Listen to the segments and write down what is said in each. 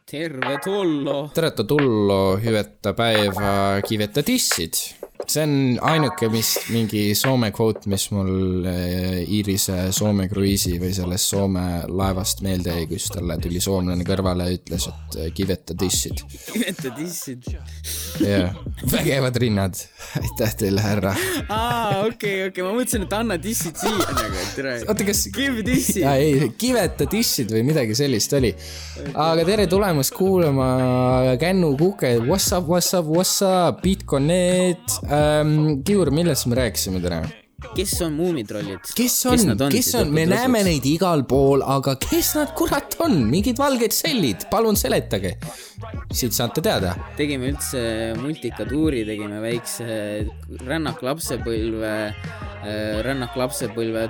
Terve tullo. Terve tullo, hüveta päeva, kiveta tissid. See on ainuke, mis mingi Soome quote, mis mul Iirise Soome kruiisi või sellest Soome laevast meelde jäi, kus talle tuli soomlane kõrvale ja ütles, et kiveta tissid. Kiveta tissid. Jah, vägevad rinnad. Aitäh teile, härra. Okei, ma mõtlesin, et anna tissid siia nagu. Oota, kas... Give tissid. Ei, kiveta tissid või midagi sellist oli. Aga tere tulemast kuulama Kännu Kuke. What's up, Bitconet. Kiur, millest me rääkisime täna? Kes on muumitrollid? Kes on? Me näeme neid igal pool, aga kes nad kurat on? Mingid valged sellid, palun seletage. Siit saate teada. Tegime üldse multikatuuri, tegime väikse rännak lapsepõlve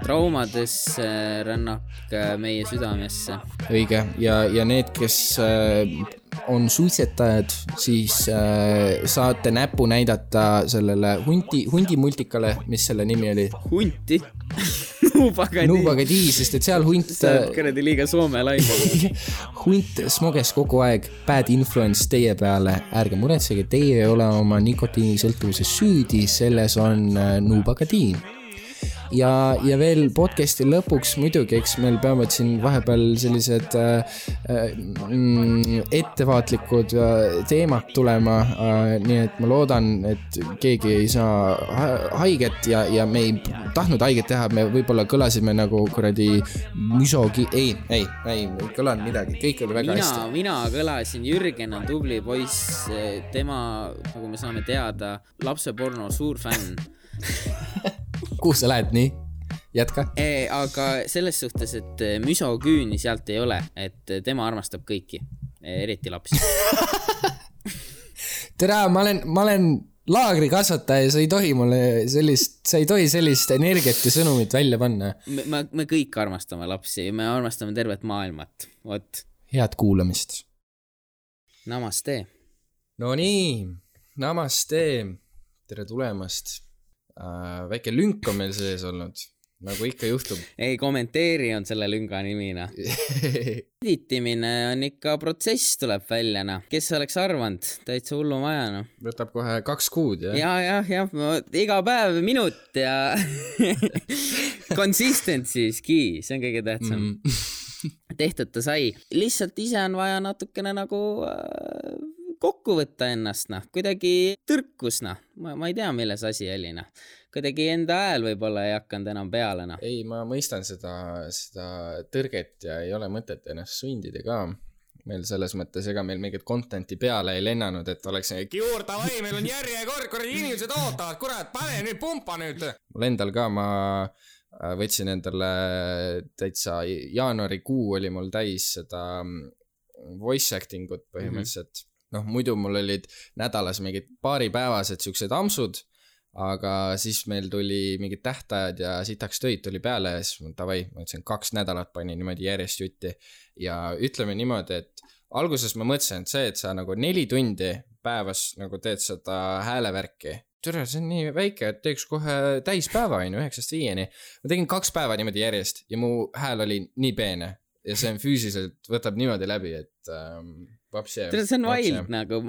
traumadesse, rännak meie südamesse. Õige, ja need, kes on suitsetajad, siis saate näpu näidata sellele hundi multikale, mis selle nimi oli? Hunti? Nuubagadi, sest et seal hunt... See on kõredi liiga Soome laine. Hunt smoges kogu aeg, bad influence teie peale. Ärge muretsege, teie ei ole oma nikotiinisõltuvuses süüdi, selles on Nuubagadi. Ja veel podcasti lõpuks muidugi, eks meil peavad siin vahepeal sellised ettevaatlikud teemad tulema, nii et ma loodan, et keegi ei saa haiget ja me ei tahtnud haiget teha, me võib-olla kõlasime nagu kuradi ei kõlanud midagi, kõik oli väga hästi. Mina kõlasin, Jürgen on tubli poiss, tema, nagu me saame teada, lapseporno suur fänn. Kuhu sa lähed nii? Jätka. Aga selles suhtes, et müsoküüni sealt ei ole, et tema armastab kõiki, eriti lapsi. Tere, ma olen laagrikasvataja, sa ei tohi sellist energiat ja sõnumit välja panna. Me kõik armastame lapsi, me armastame tervet maailmat. Vot. Head kuulamist. Namaste. No nii, namaste. Tere tulemast. Väike lünk on meil sees olnud, nagu ikka juhtub. Ei, kommenteeri on selle lünga nimina. Editimine on ikka protsess, tuleb väljana. Kes oleks arvanud? Täitsa hullu majana. Võtab kohe 2 kuud, jah? Ja, iga päev minut ja consistency is key, see on kõige tähtsam. Tehtud ta sai. Lihtsalt ise on vaja natukene nagu... kokku võtta ennast, kuidagi tõrkus, ma ei tea, milles asi oli, kuidagi enda hääl võib-olla ei hakanud enam peale, Ei, ma mõistan seda tõrget ja ei ole mõtet ennast sundida ka. Meil selles mõttes, ega meil mingit contenti peale ei lennanud, et oleks Kiur, davai, meil on järjekord, inimesed ootavad, kurat, pane nüüd, pumpa nüüd. Mul endal ka, ma võtsin endale täitsa jaanuarikuu oli mul täis seda voice actingut põhimõtteliselt. Muidu mul olid nädalas mingid paaripäevased siuksed amsud, aga siis meil tuli mingid tähtajad ja sitaks töid tuli peale ja siis davai, ma ütlesin 2 nädalat panin niimoodi järjest jutti ja ütleme niimoodi, et alguses ma mõtlesin, et see, et sa nagu 4 tundi päevas nagu teed seda häälevärki. Tere, see on nii väike, et teeks kohe täispäeva 9-5. Ma tegin 2 päeva niimoodi järjest ja mu hääl oli nii peene ja see on füüsiliselt võtab niimoodi läbi, et see on wild nagu,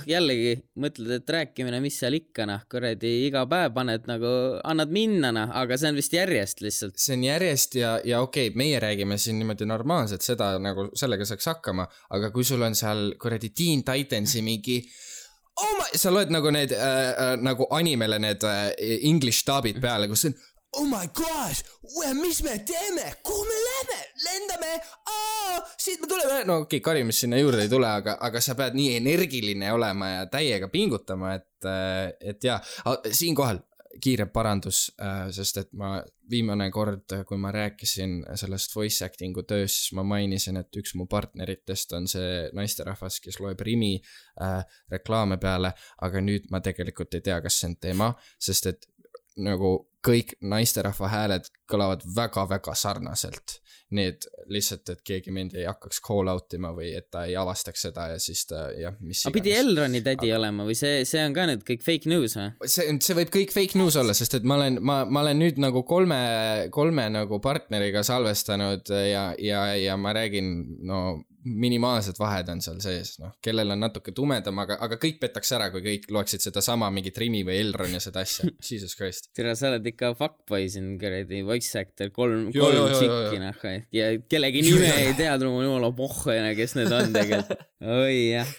jällegi mõtled, et rääkimine, mis seal ikka, kuradi iga päev paned nagu, annad minna, aga see on vist järjest lihtsalt. See on järjest ja okei, meie räägime siin niimoodi normaalselt seda, nagu sellega saaks hakkama, aga kui sul on seal kuradi Teen Titansi mingi sa loed nagu need nagu animele need English dubid peale, kus see on oh my gosh, mis me teeme? Kuhu me lähme? Lendame? Siit me tuleme. No okei, karimist sinna juurde ei tule, aga sa pead nii energiline olema ja täiega pingutama, et ja, siinkohal kiire parandus, sest et ma viimane kord, kui ma rääkisin sellest voice actingu töös, siis ma mainisin, et üks mu partneritest on see naisterahvas, kes loeb Rimi reklaame peale, aga nüüd ma tegelikult ei tea, kas see on tema, sest et nagu kõik naisterahva hääled kõlavad väga-väga sarnaselt. Nii et lihtsalt, et keegi mind ei hakkaks call outima või et ta ei avastaks seda ja siis ta, jah, mis iganes. Pidi Elroni tädi olema või see on ka nüüd kõik fake news või? See võib kõik fake news olla, sest et ma olen nüüd nagu kolme nagu partneriga salvestanud ja ma räägin, no minimaalsed vahed on seal sees, noh, kellel on natuke tumedam, aga kõik petaks ära, kui kõik loeksid seda sama mingit Rimi või Elron ja seda asja. Jesus Christ. Tere, sa oled ikka fuckboy siin, kuradi voice actor, kolm tšikki, noh, ja kellegi nime ei teadnud, mul jumala pohhoina, kes need on tegelikult. Oi, jah.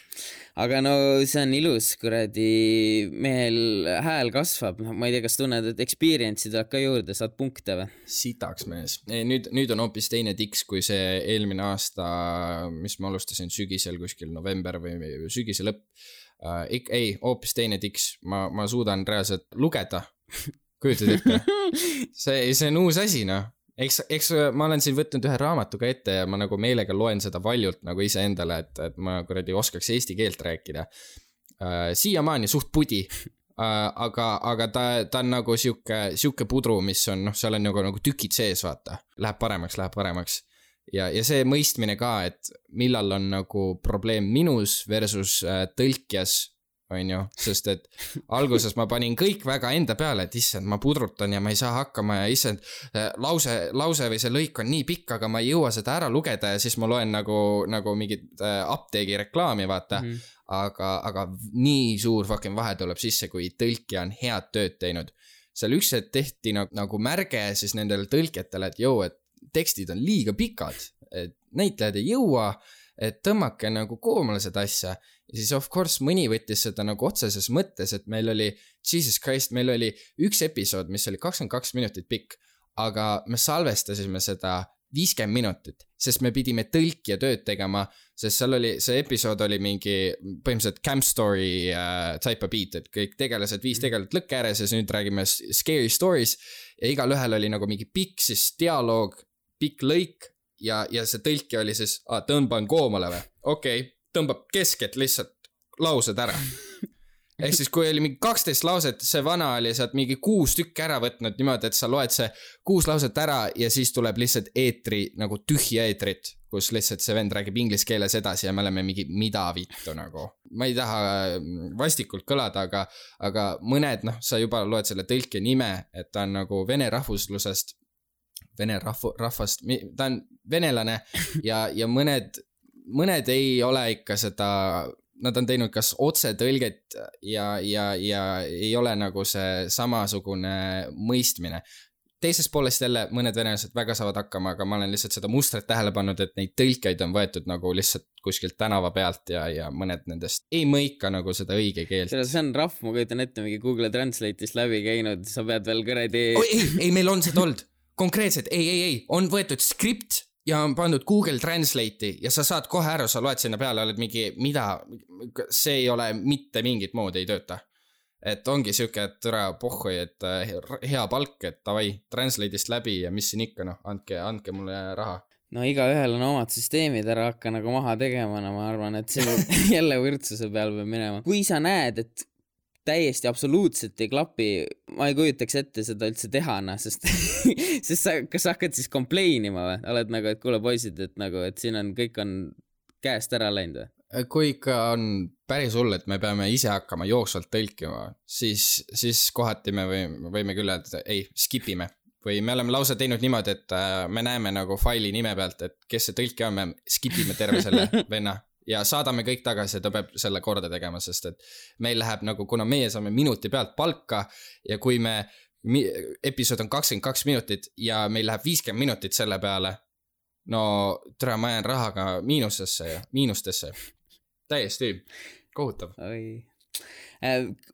Aga no see on ilus, kuradi, mehel hääl kasvab, ma ei tea, kas tunned, et experience'i tuleb ka juurde, saad punkte või? Sitaks mees. Nüüd on hoopis teine tiks kui see eelmine aasta, mis ma alustasin sügisel kuskil november või sügise lõpp. Ei, hoopis teine tiks. Ma suudan reaalselt lugeda. Kujutad ette? See on uus asi, noh. Eks ma olen siin võtnud ühe raamatuga ette ja ma nagu meelega loen seda valjult nagu ise endale, et ma kuradi oskaks eesti keelt rääkida. Siiamaani suht pudi, aga ta on nagu siuke pudru, mis on, noh, seal on nagu tükid sees, vaata. Läheb paremaks. Ja see mõistmine ka, et millal on nagu probleem minus versus tõlkjas, on ju, sest et alguses ma panin kõik väga enda peale, et issand, ma pudrutan ja ma ei saa hakkama ja issand, lause või see lõik on nii pikk, aga ma ei jõua seda ära lugeda ja siis ma loen nagu mingit apteegi reklaami, vaata. Aga nii suur fucking vahe tuleb sisse, kui tõlkija on head tööd teinud. Seal üks hetk tehti nagu märge siis nendele tõlkjatele, et et tekstid on liiga pikad, et näitlejad ei jõua, et tõmmake nagu koomale seda asja. Ja siis of course mõni võttis seda nagu otseses mõttes, et meil oli, Jesus Christ, meil oli üks episood, mis oli 22 minutit pikk, aga me salvestasime seda 50 minutit, sest me pidime tõlkija tööd tegema, sest seal oli, see episood oli mingi põhimõtteliselt camp story type of beat, et kõik tegelased, 5 tegelat lõkke ääres ja siis nüüd räägime scary stories ja igal ühel oli nagu mingi pikk siis dialoog, pikk lõik ja see tõlkija oli siis, tõmban koomale või? Okei. Tõmbab keskelt lihtsalt laused ära. Ehk siis kui oli mingi 12 lauset, see vana oli sealt mingi 6 tükki ära võtnud niimoodi, et sa loed see 6 lauset ära ja siis tuleb lihtsalt eetri, nagu tühja eetrit, kus lihtsalt see vend räägib inglise keeles edasi ja me oleme mingi mida vittu nagu. Ma ei taha vastikult kõlada, aga mõned, noh, sa juba loed selle tõlke nime, et ta on nagu vene rahvuslusest, vene rahvast, ta on venelane ja mõned ei ole ikka seda, nad on teinud kas otse tõlget ja ei ole nagu see samasugune mõistmine. Teises poolest jälle mõned venelased väga saavad hakkama, aga ma olen lihtsalt seda mustret tähele pannud, et neid tõlkeid on võetud nagu lihtsalt kuskilt tänava pealt ja mõned nendest ei mõika nagu seda õige keelt. See on rahv, ma kujutan ette mingi Google Translate'ist läbi käinud, sa pead veel kõredi... Ei, meil on seda olnud. Konkreetselt, ei, on võetud skript ja on pandud Google Translate'i ja sa saad kohe ära, sa loed sinna peale, oled mingi, see ei ole mitte mingit moodi ei tööta. Et ongi siuke, et türa pohhoi, et hea palk, et tavai, Translate'ist läbi ja mis siin ikka, noh, andke mulle raha. No igaühel on omad süsteemid, ära hakka nagu maha tegema, no ma arvan, et see jälle võrdsuse peal peab minema. Kui sa näed, et täiesti absoluutselt ei klapi, ma ei kujutaks ette seda üldse teha, sest kas sa hakkad siis kompleinima või? Oled nagu, et kuule poisid, et siin on, kõik on käest ära läinud või? Kui ikka on päris hull, et me peame ise hakkama jooksvalt tõlkima, siis kohati me võime küll, et ei, skipime. Või me oleme lausa teinud niimoodi, et me näeme nagu faili nime pealt, et kes see tõlki on, me skipime terve selle venna. Ja saadame kõik tagasi ja ta peab selle korda tegema, sest et meil läheb nagu, kuna meie saame minuti pealt palka ja kui episood on 22 minutit ja meil läheb 50 minutit selle peale, no tere, ma jään rahaga miinustesse. Täiesti kohutav.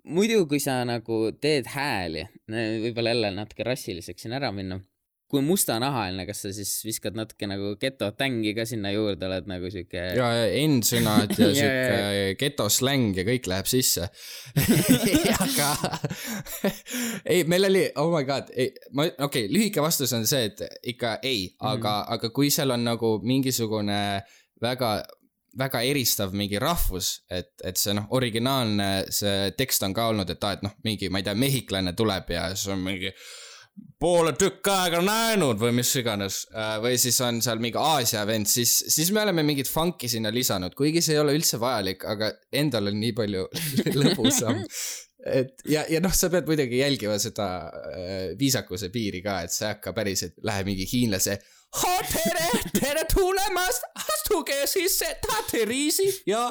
Muidu, kui sa nagu teed hääli, võib-olla jälle natuke rassiliseks siin ära minna, kui mustanahaline, kas sa siis viskad natuke nagu geto-tängi ka sinna juurde, oled nagu siuke... Ja endsõnad ja siuke geto-släng ja kõik läheb sisse. Aga... ei, meil oli... Oh my god. Okei, lühike vastus on see, et ikka ei. Aga kui seal on nagu mingisugune väga eristav mingi rahvus, et see originaalne see tekst on ka olnud, et mingi, ma ei tea, mehiklane tuleb ja see on mingi... poole tükk aega näinud või mis iganes, või siis on seal mingi Aasia vend, siis me oleme mingit funki sinna lisanud, kuigi see ei ole üldse vajalik, aga endal on nii palju lõbusam. Ja sa pead muidugi jälgima seda viisakuse piiri ka, et see hakka päris, et läheb mingi hiinlase tere tulemast, astuge sisse, tahate riisi ja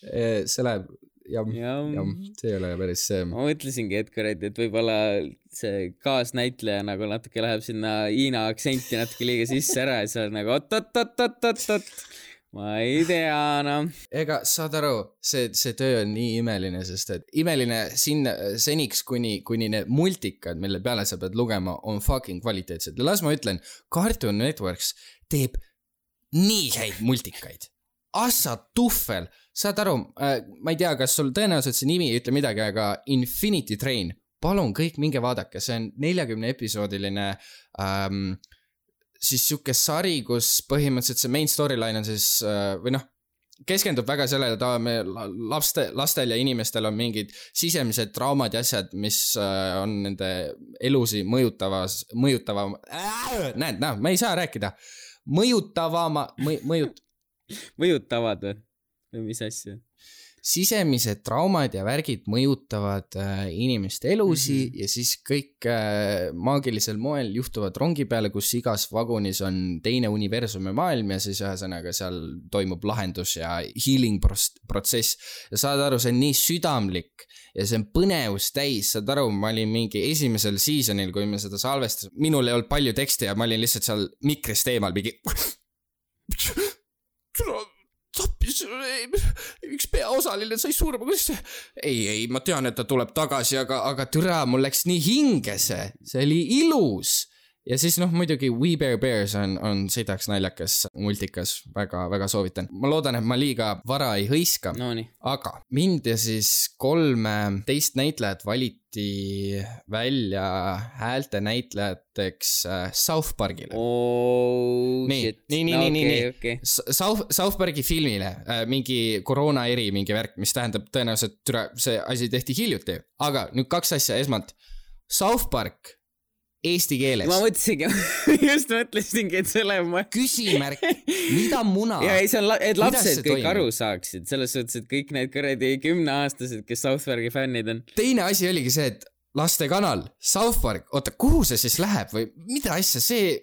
see läheb see ei ole päris see. Ma mõtlesingi Edgarit, et võib-olla see kaasnäitleja nagu natuke läheb sinna Hiina aktsenti natuke liiga sisse ära ja see on nagu oot. Ma ei tea, Ega saad aru, see töö on nii imeline, sest et imeline seniks, kuni need multikad, mille peale sa pead lugema, on fucking kvaliteetsed. Ja las ma ütlen, Cartoon Networks teeb nii häid multikaid. Assa tuffel. Saad aru, ma ei tea, kas sul tõenäoliselt see nimi ei ütle midagi, aga Infinity Train, palun kõik minge vaadake, see on 40 episoodiline siis siuke sari, kus põhimõtteliselt see main storyline on siis, või keskendub väga sellele, et lastel ja inimestel on mingid sisemised traumad ja asjad, mis on nende elusi mõjutavad, ma ei saa rääkida, mõjutavad või mis asja? Sisemised traumad ja värgid mõjutavad inimeste elusi ja siis kõik maagilisel moel juhtuvad rongi peale, kus igas vagunis on teine universumi maailm ja siis ühesõnaga seal toimub lahendus ja healing protsess. Ja saad aru, see on nii südamlik ja see on põnevus täis, saad aru, ma olin mingi esimesel seasonil, kui me seda salvestasime, minul ei olnud palju teksti ja ma olin lihtsalt seal mikrist eemal mingi tappis, üks peaosaline sai surma, kuidas see? Ei, ma tean, et ta tuleb tagasi, aga türa, mul läks nii hinge see oli ilus. Ja siis muidugi We Bare Bears on sõidaks naljakas multikas, väga soovitan. Ma loodan, et ma liiga vara ei hõiska, aga mind ja siis 3 teist näitlejat valiti välja häälte näitlejateks South Parkile. Nii. South Parki filmile, mingi koroona eri, mingi värk, mis tähendab tõenäoliselt, see asi tehti hiljuti. Aga nüüd 2 asja, esmalt South Park eesti keeles. Ma mõtlesingi, et see läheb küsimärk, mida muna? Ja ei, see on, et lapsed kõik aru saaksid, selles suhtes, et kõik need kõredi 10-aastased, kes South Parki fännid on. Teine asi oligi see, et lastekanal, South Park, oota, kuhu see siis läheb või mida asja, see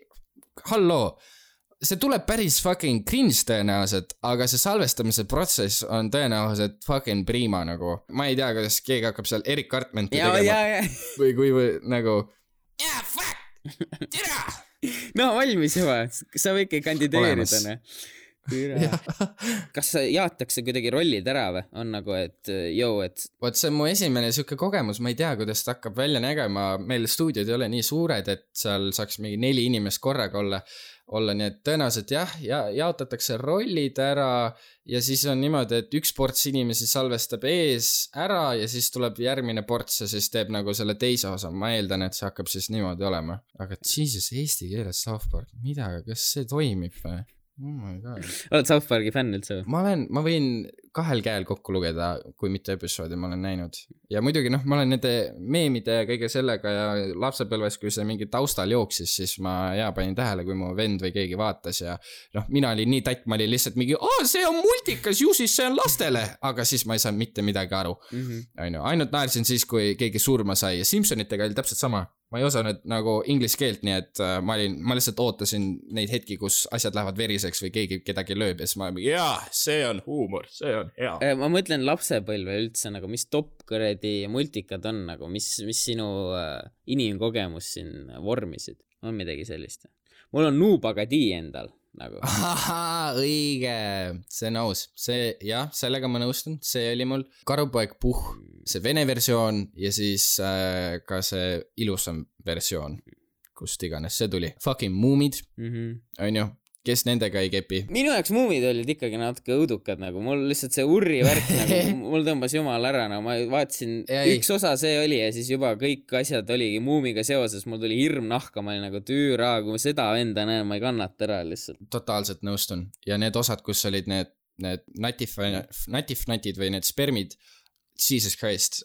tuleb päris fucking cringe tõenäoliselt, aga see salvestamise protsess on tõenäoliselt fucking prima nagu. Ma ei tea, kuidas keegi hakkab seal Eric Cartmanti tegema. Või kui nagu tira! No valmis juba, sa võidki kandideerida. Kas jaotakse kuidagi rollid ära või? On nagu, et Vot see on mu esimene siuke kogemus, ma ei tea, kuidas ta hakkab välja nägema. Meil stuudiod ei ole nii suured, et seal saaks mingi 4 inimest korraga olla, nii et tõenäoliselt jaotatakse rollid ära ja siis on niimoodi, et üks ports inimesi salvestab ees ära ja siis tuleb järgmine ports ja siis teeb nagu selle teise osa. Ma eeldan, et see hakkab siis niimoodi olema. Aga Jesus, eesti keeles South Park, mida, kas see toimib või? Oh my god. Oled South Parki fänn üldse? Ma võin 2 käel kokku lugeda, kui mitte episoodi ma olen näinud. Ja muidugi, ma olen nende meemide ja kõige sellega ja lapsepõlves, kui see mingi taustal jooksis, siis ma panin tähele, kui mu vend või keegi vaatas ja mina olin nii tatt, ma olin lihtsalt mingi, see on multikas, ju siis see on lastele, aga siis ma ei saanud mitte midagi aru. Ainult naersin siis, kui keegi surma sai ja Simpsonitega oli täpselt sama. Ma ei osanud nagu inglise keelt, nii et ma lihtsalt ootasin neid hetki, kus asjad lähevad veriseks või keegi kedagi lööb ja siis ma mingi, see on huumor, see on hea. Ma mõtlen lapsepõlve üldse, nagu mis top kõredi multikad on, nagu mis sinu inimkogemus siin vormisid, on midagi sellist. Mul on Noob Agadi endal. Nagu. Õige, see on aus, sellega ma nõustun, see oli mul Karupoeg Puh, see vene versioon ja siis ka see ilusam versioon, kust iganes see tuli. Fucking muumid, on ju, kes nendega ei kepi. Minu jaoks muumid olid ikkagi natuke õudukad, nagu mul lihtsalt see urri värk, nagu mul tõmbas jumal ära, nagu ma vaatasin, üks osa see oli ja siis juba kõik asjad oligi muumiga seoses, mul tuli hirm nahka, ma olin nagu tüüra, kui ma seda enda näen, ma ei kannata ära lihtsalt. Totaalselt nõustun ja need osad, kus olid need natifnatid või need spermid, Jesus Christ,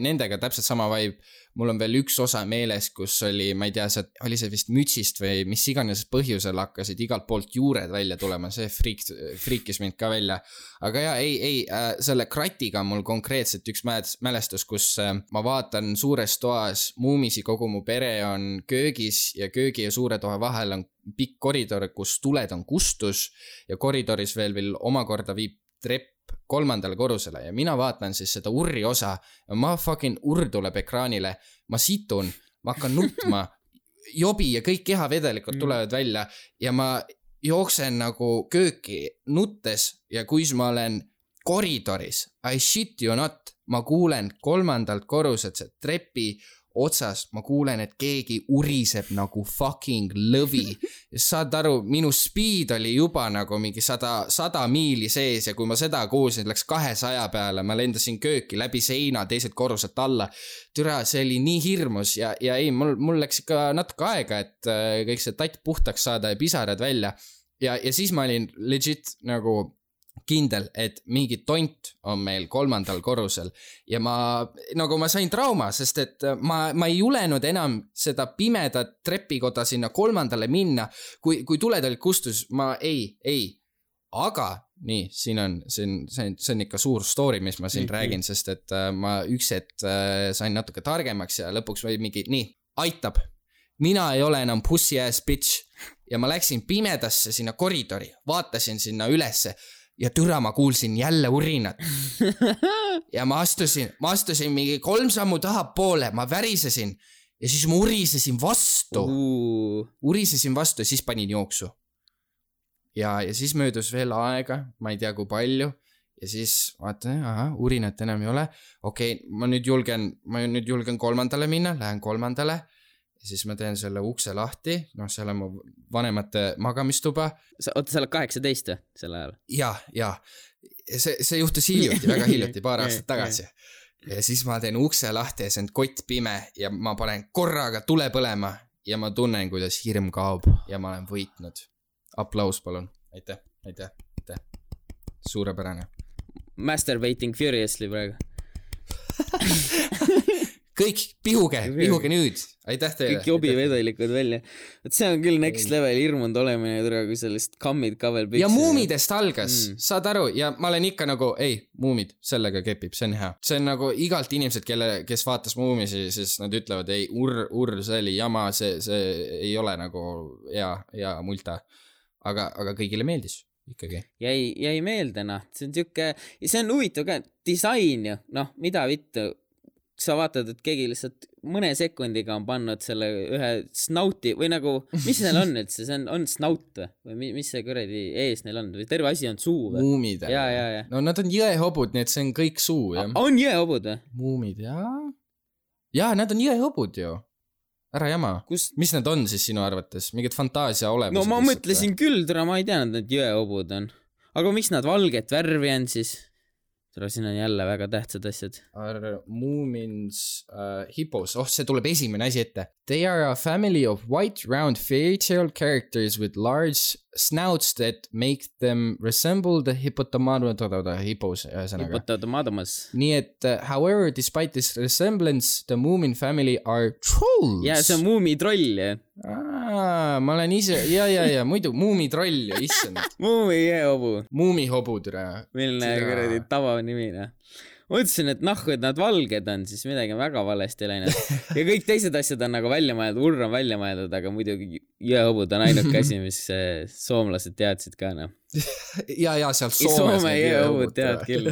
nendega täpselt sama vibe. Mul on veel üks osa meeles, kus oli, ma ei tea, oli see vist mütsist või mis iganes põhjusel hakkasid igalt poolt juured välja tulema, see friikis mind ka välja. Aga selle kratiga on mul konkreetselt üks mälestus, kus ma vaatan suures toas muumisi, kogu mu pere on köögis ja köögi ja suure toa vahel on pikk koridor, kus tuled on kustus ja koridoris veel omakorda viib trepp 3. korrusele ja mina vaatan siis seda urri osa ja ma fucking urr tuleb ekraanile, ma situn, ma hakkan nutma, jobi ja kõik kehavedelikult tulevad välja ja ma jooksen nagu kööki nuttes ja kui ma olen koridoris, I shit you not, ma kuulen 3. korruselt see trepi otsas, ma kuulen, et keegi uriseb nagu fucking lõvi. Ja saad aru, minu speed oli juba nagu mingi 100 miili sees ja kui ma seda kuulsin, läks 200 peale, ma lendasin kööki läbi seina teiselt korruselt alla. Türa, see oli nii hirmus ja ei, mul läks ikka natuke aega, et kõik see tatt puhtaks saada ja pisarad välja. Ja siis ma olin legit nagu kindel, et mingi tont on meil 3. korrusel ja ma sain trauma, sest et ma ei julenud enam seda pimedat trepikoda sinna 3. minna, kui tuled olid kustus, ma ei, aga nii, see on ikka suur story, mis ma siin räägin, sest et ma üks hetk sain natuke targemaks ja lõpuks või mingi, nii, aitab, mina ei ole enam pussy ass bitch ja ma läksin pimedasse sinna koridori, vaatasin sinna ülesse ja türa ma kuulsin jälle urinat ja ma astusin mingi 3 sammu taha poole, ma värisesin ja siis ma urisesin vastu ja siis panin jooksu ja siis möödus veel aega, ma ei tea kui palju ja siis vaatan, urinat enam ei ole, okei, ma nüüd julgen 3. minna, lähen 3. ja siis ma teen selle ukse lahti, seal on mu vanemate magamistuba. Oota, sa oled 18 selle ajal? Ja. See juhtus hiljuti, väga hiljuti, paar aastat tagasi. Ja siis ma teen ukse lahti ja see on kott pime ja ma panen korraga tule põlema ja ma tunnen, kuidas hirm kaob ja ma olen võitnud. Aplaus, palun. Aitäh. Suurepärane. Masturbating furiously praegu. Kõik, pihuge nüüd. Aitäh teile. Kõik jobivedelikud välja. Et see on küll next level hirmund olemine, kui sellist kammid ka veel püksid. Ja muumidest algas, saad aru, ja ma olen ikka nagu, muumid, sellega kepib, see on hea. See on nagu igalt inimesed, kes vaatas muumisi, siis nad ütlevad, urr, see oli jama, see ei ole nagu hea multa. Aga kõigile meeldis ikkagi. Jäi meelde, see on huvitav ka, disain ju, mida vittu. Sa vaatad, et keegi lihtsalt mõne sekundiga on pannud selle ühe snauti või nagu, mis neil on üldse, see on snaut või mis see kuradi ees neil on või terve asi on suu või? Muumid. Ja. No nad on jõehobud, nii et see on kõik suu. On jõehobud või? Muumid, ja nad on jõehobud ju. Ära jama. Mis need on siis sinu arvates? Mingid fantaasia olemused? No ma mõtlesin küll, ma ei tea, need jõehobud on. Aga miks nad valget värvi on siis? Siin on jälle väga tähtsad asjad. Moomins, hippos. See tuleb esimene asi ette. They are a family of white, round fairy tale characters with large snouts that make them resemble the hippopotamus. Nii et, however, despite this resemblance, the Moomin family are trolls. Ja, see on muumitroll, jah. Ma olen ise, ja, muidu muumitroll, issand. Muumihobu. Muumihobu, türa. Milline kuradi tavanimine. Mõtlesin, et et nad valged on, siis midagi väga valesti läinud. Ja kõik teised asjad on nagu välja mõeldud, urr on välja mõeldud, aga muidugi jõehobud on ainuke asi, mis soomlased teadsid ka, Ja, seal Soomes. Soome jõehobud tead küll.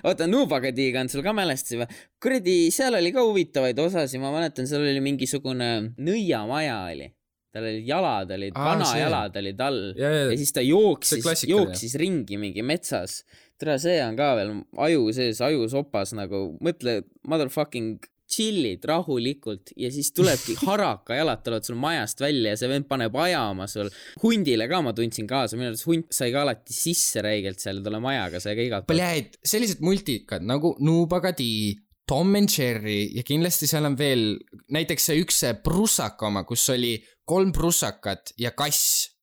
Oota, Nubagadiga on sul ka mälestasi või? Kuradi, seal oli ka huvitavaid osasi, ma mäletan, seal oli mingisugune nõiamaja oli. Tal olid jalad, vanajalad olid all ja siis ta jooksis ringi mingi metsas. Tere, see on ka veel aju sees, aju sopas nagu, mõtle, motherfucking chillid rahulikult ja siis tulebki haraka jalad tulevad sul majast välja ja see vend paneb ajama sul. Hundile ka ma tundsin kaasa, minu arvates hunt sai ka alati sisse räigelt seal tule majaga, sai ka igalt. Pläid, sellised multikad nagu Nubagadi, Tom and Jerry ja kindlasti seal on veel näiteks see üks prussaka oma, kus oli 3 prussakat ja kass.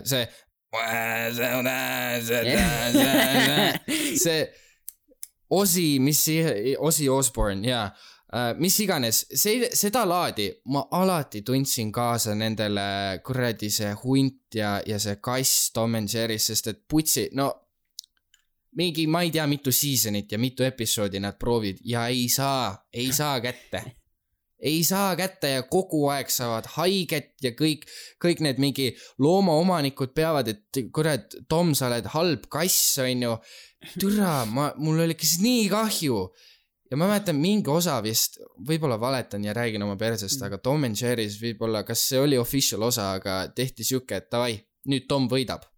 See see Ozzy Osbourne ja mis iganes, seda laadi ma alati tundsin kaasa nendele kuradi see hunt ja see kass Tom and Jerry's, sest et putsi, no mingi, ma ei tea, mitu seasonit ja mitu episoodi nad proovid ja ei saa kätte. Ei saa kätte ja kogu aeg saavad haiget ja kõik need mingi loomaomanikud peavad, et kurat, Tom, sa oled halb kass, on ju. Türa, mul oli kes nii kahju. Ja ma mäletan mingi osa vist, võib-olla valetan ja räägin oma persest, aga Tom and Jerry's võib-olla, kas see oli official osa, aga tehti siuke, et davai, nüüd Tom võidab.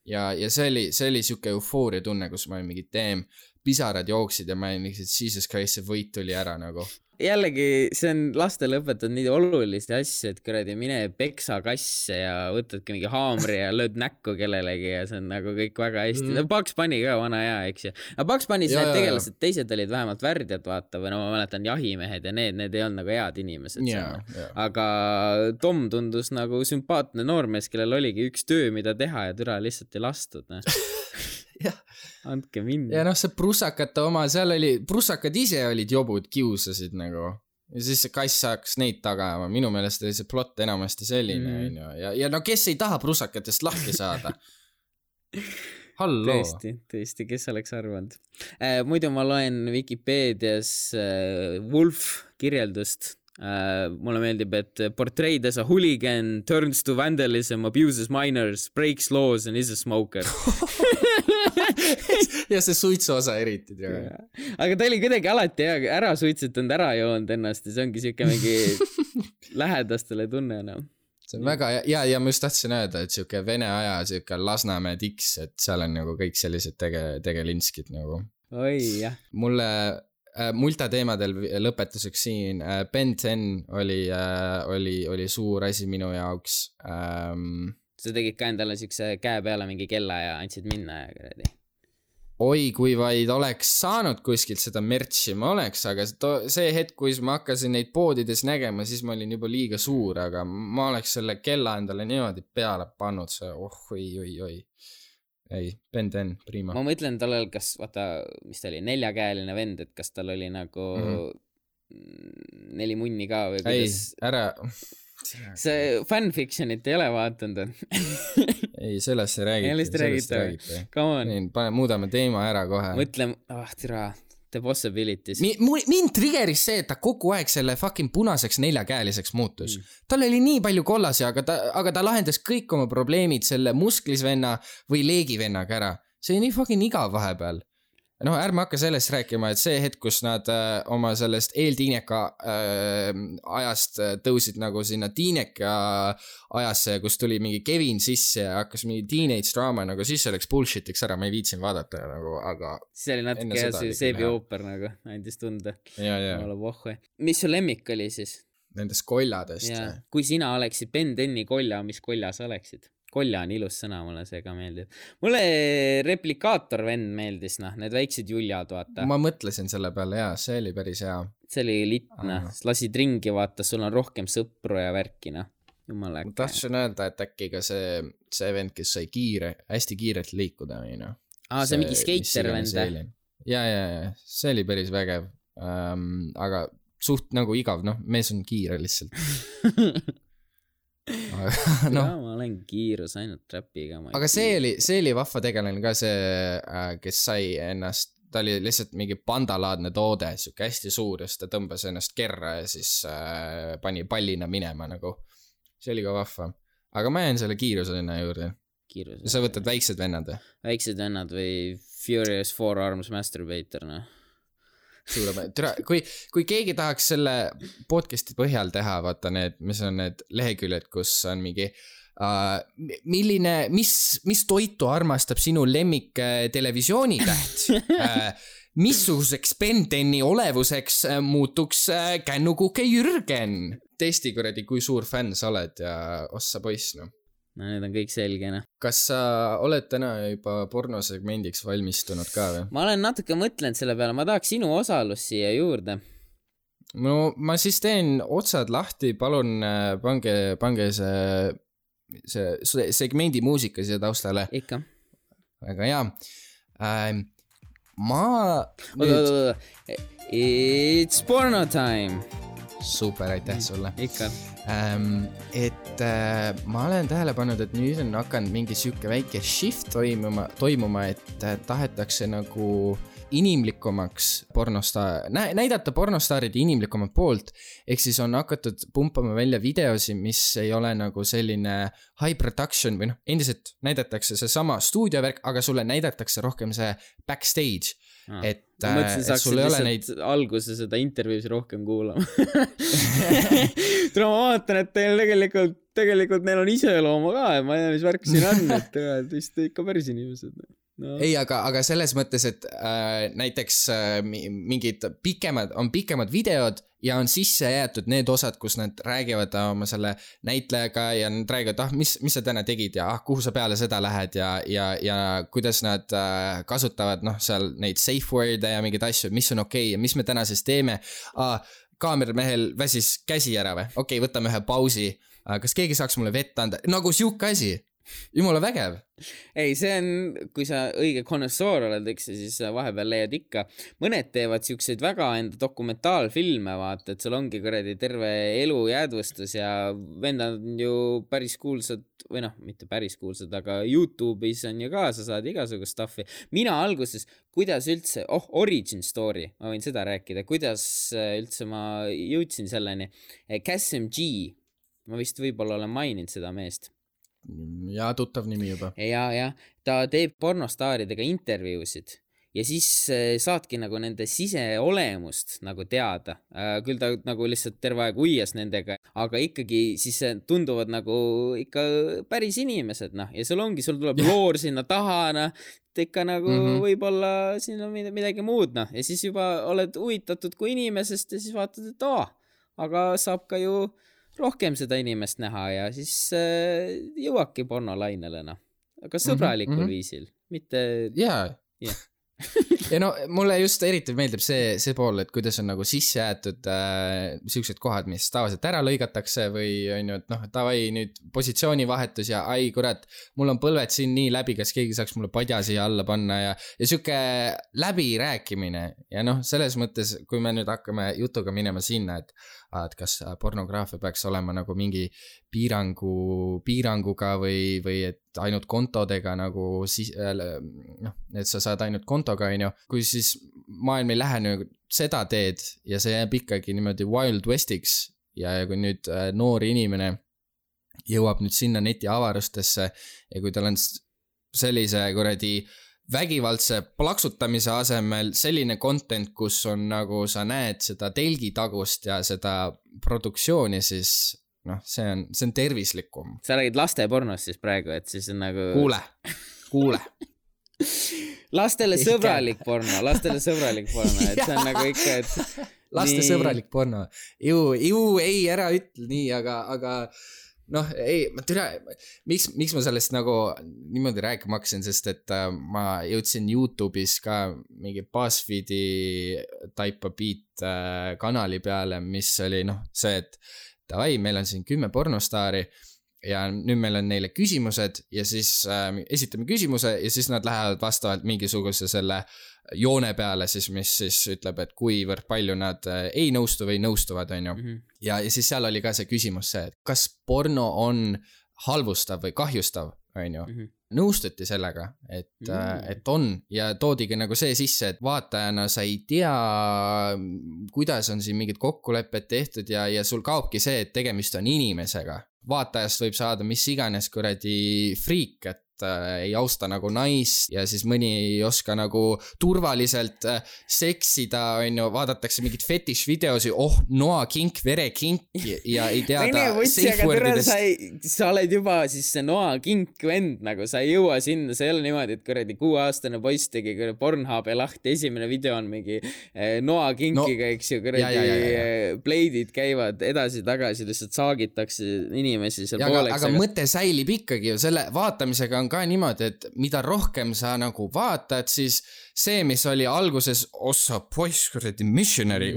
Ja see oli siuke eufooria tunne, kus ma olin mingi pisarad jooksid ja ma olin lihtsalt, Jesus Christ, see võit tuli ära nagu. Jällegi, see on lastele õpetanud nii olulisi asju, et kuradi mine peksa kasse ja võtadki mingi haamri ja lööd näkku kellelegi ja see on nagu kõik väga hästi. Bugs Bunny ka vana hea, eks ju. Aga Bugs Bunny's need tegelased, teised olid vähemalt värdjad, vaata, või no ma mäletan jahimehed ja need ei olnud nagu head inimesed. Aga Tom tundus nagu sümpaatne noormees, kellel oligi üks töö, mida teha ja türa lihtsalt ei lastud. Andke minna. Ja see prussakate oma, seal oli, prussakad ise olid jobud, kiusasid nagu. Ja siis see kass saaks neid tagama. Minu meelest oli see plott enamasti selline. Ja no kes ei taha prussakatest lahti saada? Hallo. Tõesti, kes oleks arvanud. Muidu ma loen Wikipeedias Wolf kirjeldust. Mulle meeldib, et portrayed as a hooligan, turns to vandalism, abuses minors, breaks laws and is a smoker. Ja see suitsu osa eriti. Aga ta oli kuidagi alati ära suitsetanud, ära joonud ennast ja see ongi siuke mingi lähedastele tunne. See on väga, ja ma just tahtsin öelda, et siuke Vene aja, siuke Lasnamäe tiks, et seal on nagu kõik sellised tegelinskid nagu. Oi, jah. Mulle multateemadel lõpetuseks siin Ben 10 oli suur asi minu jaoks. Sa tegid ka endale siukse käe peale mingi kella ja andsid minna ja kuradi. Oi, kui vaid oleks saanud kuskilt seda merchi, ma oleks, aga see hetk, kui ma hakkasin neid poodides nägema, siis ma olin juba liiga suur, aga ma oleks selle kella endale niimoodi peale pannud, see oi. Ei, Ben 10, prima. Ma mõtlen tollel, kas, vaata, mis ta oli, 4-käeline vend, et kas tal oli nagu 4 munni ka või kuidas... Ei, ära... See fanfictionit ei ole vaatanud. Ei, sellest ei räägita. Come on. Muudame teema ära kohe. Mõtlem, tira, the possibilities. Mind triggeris see, et ta kogu aeg selle fucking punaseks 4-käeliseks muutus. Tal oli nii palju kollasi, aga ta lahendas kõik oma probleemid selle musklisvenna või leegivennaga ära. See on nii fucking igav vahepeal. No ärme hakka sellest rääkima, et see hetk, kus nad oma sellest eeltiineka ajast tõusid nagu sinna tiineka ajasse, kus tuli mingi Kevin sisse ja hakkas mingi teenage drama, nagu siis oleks bullshitiks ära, ma ei viitsin vaadata nagu, aga... See oli natuke seebi ooper nagu, andis tunda. Ja. Mis su lemmik oli siis? Nendest kolladest. Ja. Kui sina oleksid Ben 10 kolja, mis kolja sa oleksid? Kolja on ilus sõna, mulle see ka meeldib. Mulle replikaator vend meeldis, need väiksed juljad, vaata. Ma mõtlesin selle peale, jaa, see oli päris hea. See oli litna, lasid ringi, vaata, sul on rohkem sõpru ja värkina. Jumala äkki. Ma tahtsin öelda, et äkki ka see vend, kes sai hästi kiirelt liikuda. See mingi skater vend. Ja, see oli päris vägev. Aga suht nagu igav, mees on kiire lihtsalt. No. Ma olen kiirus ainult trapiga. Aga see oli vahva tegelane ka see, kes sai ennast, ta oli lihtsalt mingi pandalaadne toode, siuke hästi suur ja siis ta tõmbas ennast kerra ja siis pani pallina minema nagu. See oli ka vahva. Aga ma jään selle kiirusena juurde. Sa võtad väiksed vennad või? Väiksed vennad või Furious 4 Arms Masturbator, kui keegi tahaks selle podcasti põhjal teha, vaata mis on need leheküljed, kus on mingi mis toitu armastab sinu lemmik televisioonitäht, missuguseks Ben 10 olevuseks muutuks kännukuke Jürgen, testi kuradi, kui suur fänn sa oled ja ossa poiss, No need on kõik selgena. Kas sa oled täna juba pornosegmendiks valmistunud ka või? Ma olen natuke mõtlenud selle peale, ma tahaks sinu osalus siia juurde. No ma siis teen otsad lahti, palun pange see see segmendi muusika siia taustale. Ikka. Väga hea. Ma It's porno time. Super, aitäh sulle. Ikka. Et ma olen tähele pannud, et nüüd on hakanud mingi siuke väike shift toimuma, et tahetakse nagu inimlikumaks näidata pornostaaride inimlikumat poolt, ehk siis on hakatud pumpama välja videosi, mis ei ole nagu selline high production või endiselt näidatakse see sama stuudiovärk, aga sulle näidatakse rohkem see backstage. Et sul ei ole neid alguse seda intervjuusi rohkem kuulama. Ma vaatan, et teil tegelikult neil on iseloomu ka ja ma ei tea, mis värk siin on, et vist ikka päris inimesed. No. Ei, aga selles mõttes, et näiteks mingid pikemad videod ja on sisse jäetud need osad, kus nad räägivad oma selle näitlejaga ja nad räägivad, mis sa täna tegid ja kuhu sa peale seda lähed ja kuidas nad kasutavad seal neid safe word'e ja mingeid asju, mis on okei ja mis me täna siis teeme. Kaameramehel väsis käsi ära või? Okei, võtame ühe pausi. Kas keegi saaks mulle vett anda? Nagu siuke asi. Jumala vägev. Ei, see on, kui sa õige konnoissoor oled, eks, siis vahepeal leiad ikka. Mõned teevad siukseid väga enda dokumentaalfilme, vaata, et sul ongi kuradi terve elu jäädvustus ja vendad on ju päris kuulsad, või mitte päris kuulsad, aga YouTube'is on ju ka, sa saad igasugust stuffi. Mina alguses, kuidas üldse, origin story, ma võin seda rääkida, kuidas üldse ma jõudsin selleni. Kasim G, ma vist võib-olla olen maininud seda meest. Ja tuttav nimi juba. Ja, ta teeb pornostaaridega intervjuusid ja siis saadki nagu nende siseolemust nagu teada. Küll ta nagu lihtsalt terve aeg uias nendega, aga ikkagi siis tunduvad nagu ikka päris inimesed, ja sul tuleb loor sinna taha, ikka nagu võib-olla siin on midagi muud, ja siis juba oled huvitatud kui inimesest ja siis vaatad, et aga saab ka ju rohkem seda inimest näha ja siis jõuabki pornolainele, aga sõbralikul viisil, mitte... Jaa. Ja mulle just eriti meeldib see pool, et kuidas on nagu sisse jäetud siuksed kohad, mis tavaliselt ära lõigatakse või on ju, et tavai nüüd positsioonivahetus ja ai kurat, mul on põlved siin nii läbi, kas keegi saaks mulle padja siia alla panna ja siuke läbirääkimine ja selles mõttes, kui me nüüd hakkame jutuga minema sinna, et kas pornograafia peaks olema nagu mingi piiranguga või et ainult kontodega nagu et sa saad ainult kontoga, kui siis maailm ei lähe nagu seda teed ja see jääb ikkagi niimoodi Wild Westiks ja kui nüüd noor inimene jõuab nüüd sinna neti avarustesse ja kui tal on sellise kuradi vägivaldse plaksutamise asemel selline content, kus on nagu sa näed seda telgitagust ja seda produktsiooni, siis see on tervislikum. Sa räägid laste pornost siis praegu, et siis on nagu... Kuule. Lastele sõbralik porno, et see on nagu ikka, et... Laste sõbralik porno. Ei, ära ütle nii, aga ei, ma tere, miks ma sellest nagu niimoodi rääkima hakkasin, sest et ma jõudsin YouTube'is ka mingi BuzzFeedi type of beat kanali peale, mis oli see, et davai, meil on siin 10 pornostaari ja nüüd meil on neile küsimused ja siis esitame küsimuse ja siis nad lähevad vastavalt mingisuguse selle joone peale siis, mis siis ütleb, et kuivõrd palju nad ei nõustu või nõustuvad, on ju. Ja siis seal oli ka see küsimus see, et kas porno on halvustav või kahjustav, on ju. Nõustuti sellega, et on ja toodigi nagu see sisse, et vaatajana sa ei tea, kuidas on siin mingid kokkulepped tehtud ja sul kaobki see, et tegemist on inimesega. Vaatajast võib saada mis iganes kuradi friik, et ei austa nagu naist ja siis mõni ei oska nagu turvaliselt seksida, on ju, vaadatakse mingid fetish videosi, noa kink, vere kink ja ei teada safe wordidest. Sa oled juba siis see noa kink vend, nagu sa ei jõua sinna, see ei ole niimoodi, et kuradi 6-aastane poiss tegi Pornhubi lahti, esimene video on mingi noa kinkiga, eks ju, kuradi pleidid käivad edasi-tagasi, lihtsalt saagitakse inimesi seal pooleks. Aga mõte säilib ikkagi ju, selle vaatamisega on on ka niimoodi, et mida rohkem sa nagu vaatad, siis see, mis oli alguses ossa poiss, kuradi missionary,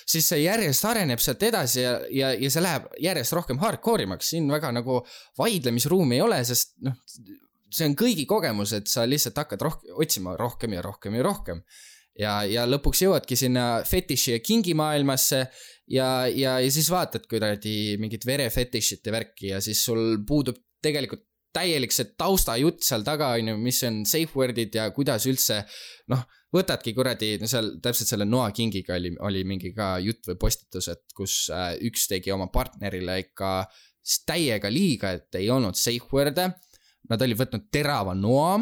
siis see järjest areneb sealt edasi ja see läheb järjest rohkem hardcore'imaks. Siin väga nagu vaidlemisruumi ei ole, sest noh, see on kõigi kogemus, et sa lihtsalt hakkad otsima rohkem ja rohkem ja rohkem. Ja lõpuks jõuadki sinna fetiši ja kingi maailmasse ja siis vaatad kuidagi mingit verefetishit ja värki ja siis sul puudub tegelikult täielik see taustajutt seal taga, mis on safe word'id ja kuidas üldse, noh, võtadki kuradi, seal täpselt selle Noa Kingiga oli mingi ka jutt või postitus, et kus üks tegi oma partnerile ikka täiega liiga, et ei olnud safe word'e. Nad oli võtnud terava noa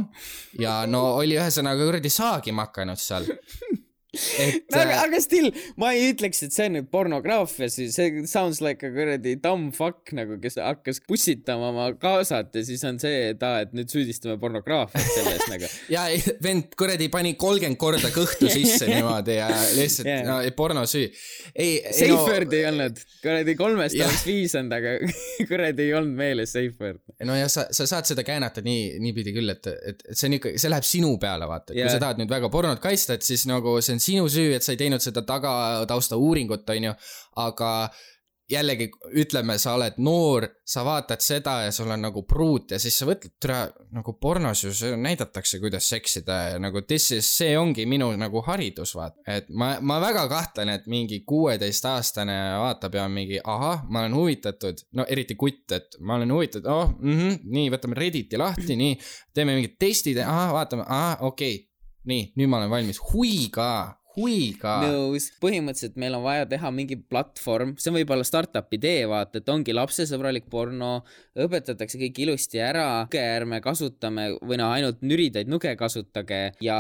ja no oli ühesõnaga kuradi saagima hakanud seal. Aga still, ma ei ütleks, et see on nüüd pornograafia, see sounds like a kuradi dumb fuck, nagu kes hakkas pussitama oma kaasat ja siis on see, et nüüd süüdistame pornograafiat selles nagu. Ja vend kuradi pani 30 korda kõhtu sisse niimoodi ja lihtsalt porno süü. Safe word ei olnud, kuradi 3 oleks 5 on, aga kuradi ei olnud meeles safe word. No ja sa saad seda käänata nii pidi küll, et see on ikka, see läheb sinu peale, vaata. Kui sa tahad nüüd väga pornot kaista, et siis nagu see on sinu süü, et sa ei teinud seda tagatausta uuringut, on ju, aga jällegi ütleme, sa oled noor, sa vaatad seda ja sul on nagu pruut ja siis sa võtled nagu pornos ju näidatakse, kuidas seksida ja nagu see ongi minu nagu haridus, vaat. Et ma väga kahtlen, et mingi 16-aastane vaatab ja mingi, ma olen huvitatud, no eriti kutt, et ma olen huvitatud, nii, võtame Redditi lahti, nii, teeme mingid testid, vaatame, okei. Nii, nüüd ma olen valmis. Hui ka. Nõus. Põhimõtteliselt meil on vaja teha mingi platvorm, see on võib-olla startup idee, vaata, et ongi lapsesõbralik porno, õpetatakse kõik ilusti ära, ärme kasutame või ainult nüridaid nuge kasutage ja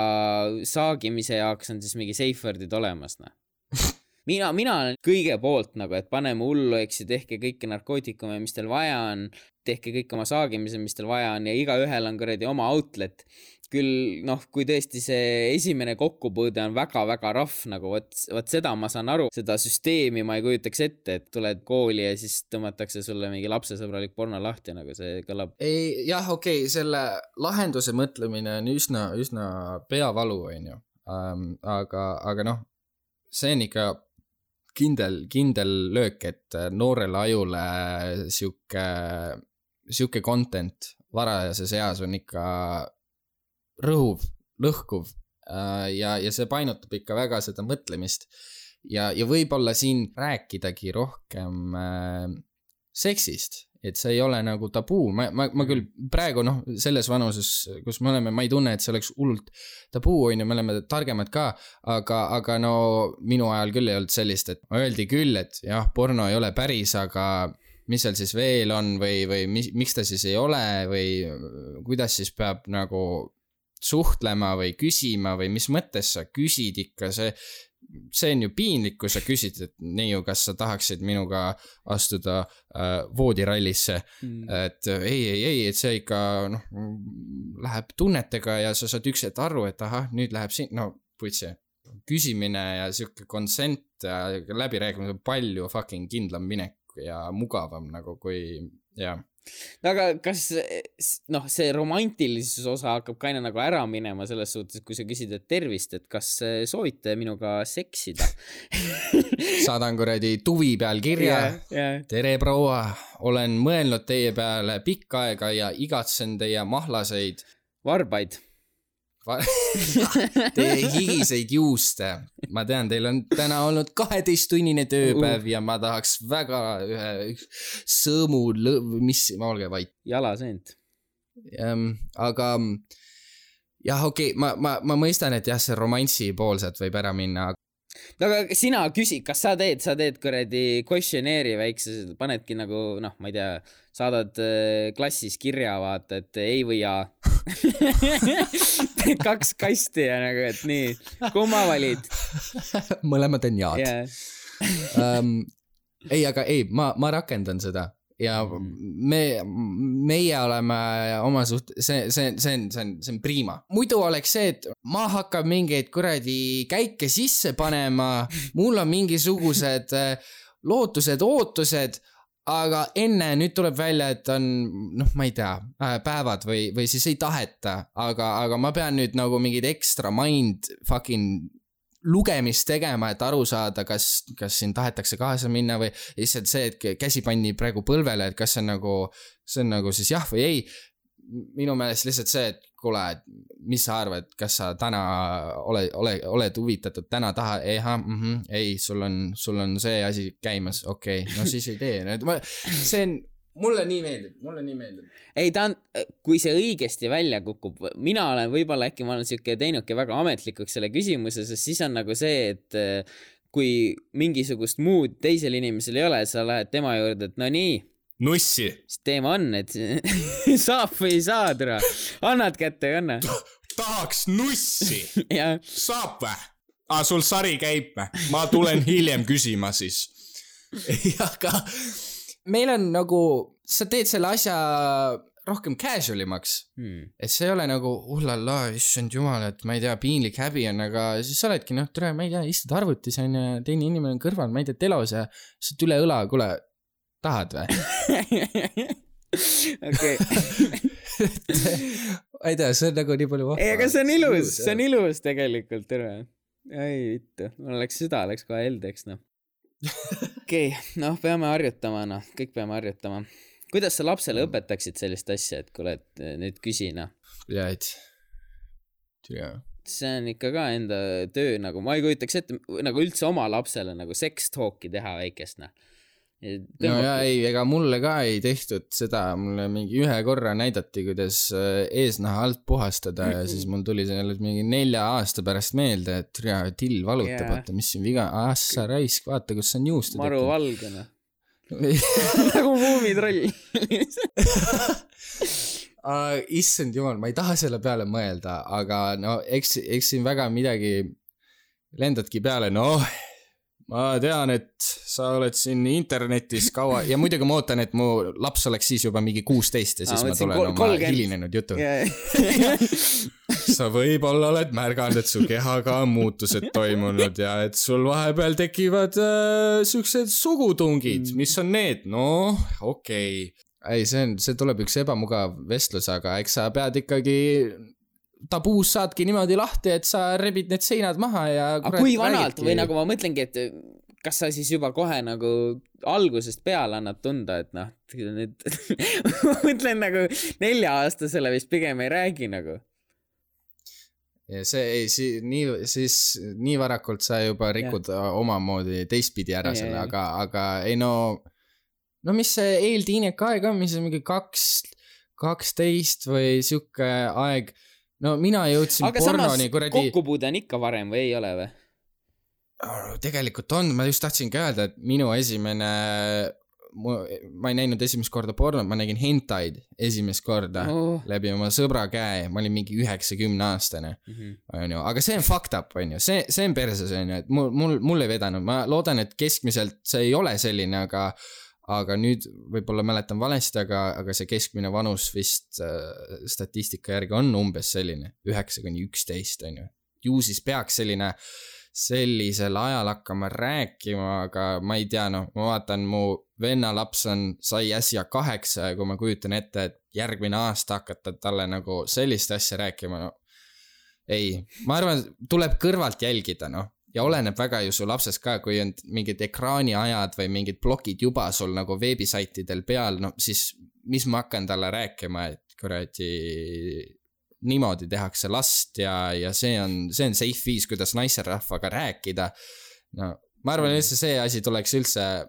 saagimise jaoks on siis mingi safe word'id olemas. Mina olen kõige poolt, nagu, et paneme hullu, eks ju, tehke kõike narkootikume, mis teil vaja on, tehke kõik oma saagimise, mis teil vaja on ja iga ühel on kuradi oma outlet. Küll, kui tõesti see esimene kokkupõõde on väga-väga rahv, nagu võt seda ma saan aru, seda süsteemi ma ei kujutaks ette, et tuled kooli ja siis tõmmatakse sulle mingi lapsesõbralik porno lahti, nagu see kõlab. Jah, okei, selle lahenduse mõtlemine on üsna peavalu, on ju. Aga noh, see on ikka kindel lõök, et noorele ajule siuke content varajases eas on ikka rõhuv, lõhkuv ja see painutab ikka väga seda mõtlemist ja võib-olla siin rääkidagi rohkem seksist, et see ei ole nagu tabuu. Ma küll praegu selles vanuses, kus me oleme, ma ei tunne, et see oleks hullult tabuu, on ju, me oleme targemad ka, aga no minu ajal küll ei olnud sellist, et öeldi küll, et jah, porno ei ole päris, aga mis seal siis veel on või miks ta siis ei ole või kuidas siis peab nagu suhtlema või küsima või mis mõttes sa küsid ikka, see on ju piinlik, kui sa küsid, et neiu, kas sa tahaksid minuga astuda voodirallisse, et ei, et see ikka läheb tunnetega ja sa saad üks hetk aru, et nüüd läheb siin, puitsi, küsimine ja siuke consent ja läbirääkimine on palju fucking kindlam minek ja mugavam nagu kui, jah. Aga kas see romantilisus osa hakkab kaina nagu ära minema selles suhtes, kui sa küsid, et tervist, et kas soovite minuga seksida? Saadan kuradi tuvi peal kirja. Tere proua, olen mõelnud teie peale pikka aega ja igatsen teie mahlaseid varbaid. Teie higiseid juuste. Ma tean, teil on täna olnud 12-tunnine tööpäev ja ma tahaks väga ühe sõõmu ma olge vait. Jalaseent. Aga jah, okei, ma mõistan, et jah, see romansi poolselt võib ära minna. Aga sina küsi, kas sa teed kuradi questionnaire väikse, panedki nagu, ma ei tea, saadad klassis kirja, vaata, et ei või jaa. 2 kasti ja nagu, et nii, kumma valid? Mõlemad on jaad. Aga ma rakendan seda ja meie oleme oma see on priima. Muidu oleks see, et ma hakkab mingeid kuradi käike sisse panema, mul on mingisugused lootused, ootused, aga enne nüüd tuleb välja, et on, noh, ma ei tea, päevad või siis ei taheta, aga ma pean nüüd nagu mingid extra mind fucking lugemist tegema, et aru saada, kas siin tahetakse kaasa minna või lihtsalt see, et käsi pandi praegu põlvele, et kas see on nagu siis jah või ei. Minu meelest lihtsalt see, et kuule, mis sa arvad, kas sa täna oled huvitatud, täna taha, ei, sul on see asi käimas, okei, no siis ei tee. See on, mulle nii meeldib. Ei, kui see õigesti välja kukub, mina olen võib-olla äkki ma olen siuke teinudki väga ametlikuks selle küsimuse, sest siis on nagu see, et kui mingisugust muud teisel inimesel ei ole, sa lähed tema juurde, et no nii. Nussi. Siis teema on, et saab või ei saa, tere. Annad kätte või anna? Tahaks nussi. Ja. Saab või? Sul sari käib või? Ma tulen hiljem küsima siis. Aga meil on nagu, sa teed selle asja rohkem casualimaks. Et see ei ole nagu, ullala, issand jumal, et ma ei tea, piinlik häbi on, aga siis sa oledki, noh, tere, ma ei tea, istud arvutis on ja teine inimene on kõrval, ma ei tea, telos ja saad üle õla, kuule, tahad või? Okei. Ma ei tea, see on nagu nii palju vahva. Ei, aga see on ilus tegelikult, tere. Ei, vittu, mul süda läks kohe heldeks, noh. Okei, noh, peame harjutama, noh, kõik peame harjutama. Kuidas sa lapsele õpetaksid sellist asja, et kuule, et nüüd küsi, noh? Jäid. See on ikka ka enda töö, nagu ma ei kujutaks ette, nagu üldse oma lapsele nagu sex-talki teha väikest, noh. No ja ei, ega mulle ka ei tehtud seda, mulle mingi ühe korra näidati, kuidas eesnaha alt puhastada ja siis mul tuli see mingi 4 aasta pärast meelde, et till valutab, vaata, mis siin viga, assa raisk, vaata, kus on juustu maru valgena. Nagu muumitroll. Issand jumal, ma ei taha selle peale mõelda, aga no eks siin väga midagi lendadki peale, noh. Ma tean, et sa oled siin internetis kaua ja muidugi ma ootan, et mu laps oleks siis juba mingi 16 ja siis ma tulen oma hilinenud jutu. Sa võib-olla oled märganud, et su kehaga on muutused toimunud ja et sul vahepeal tekivad siuksed sugutungid, mis on need? No, okei. Ei, see tuleb üks ebamugav vestlus, aga eks sa pead ikkagi tabuus saadki niimoodi lahti, et sa rebid need seinad maha ja aga kui vanalt või nagu ma mõtlengi, et kas sa siis juba kohe nagu algusest peale annad tunda, et noh, nüüd ma mõtlen nagu 4-aastasele vist pigem ei räägi nagu. Ja see nii varakult sa juba rikud omamoodi teistpidi ära selle, aga ei no mis see eeltiinek aeg on, mis on mingi 12 või siuke aeg. No mina jõudsin aga pornoni kuradi... kokkupuude on ikka varem või ei ole või? Tegelikult on, ma just tahtsingi öelda, et minu esimene, ma ei näinud esimest korda pornot, ma nägin hentaid esimest korda läbi oma sõbra käe, ma olin mingi 90-aastane, aga see on fucked up, on ju, see on perses, on ju, et mul ei vedanud, ma loodan, et keskmiselt see ei ole selline, aga nüüd võib-olla mäletan valesti, aga see keskmine vanus vist statistika järgi on umbes selline 9-11, on ju. Ju siis peaks sellisel ajal hakkama rääkima, aga ma ei tea, noh, ma vaatan, mu venna laps sai äsja 8 ja kui ma kujutan ette, et järgmine aasta hakata talle nagu sellist asja rääkima, no ei, ma arvan, tuleb kõrvalt jälgida, noh. Ja oleneb väga ju su lapsest ka, kui on mingid ekraaniajad või mingid blogid juba sul nagu veebisaitidel peal, no siis mis ma hakkan talle rääkima, et kuradi niimoodi tehakse last ja see on safe viis, kuidas naiserahvaga rääkida. No, ma arvan, et see asi tuleks üldse,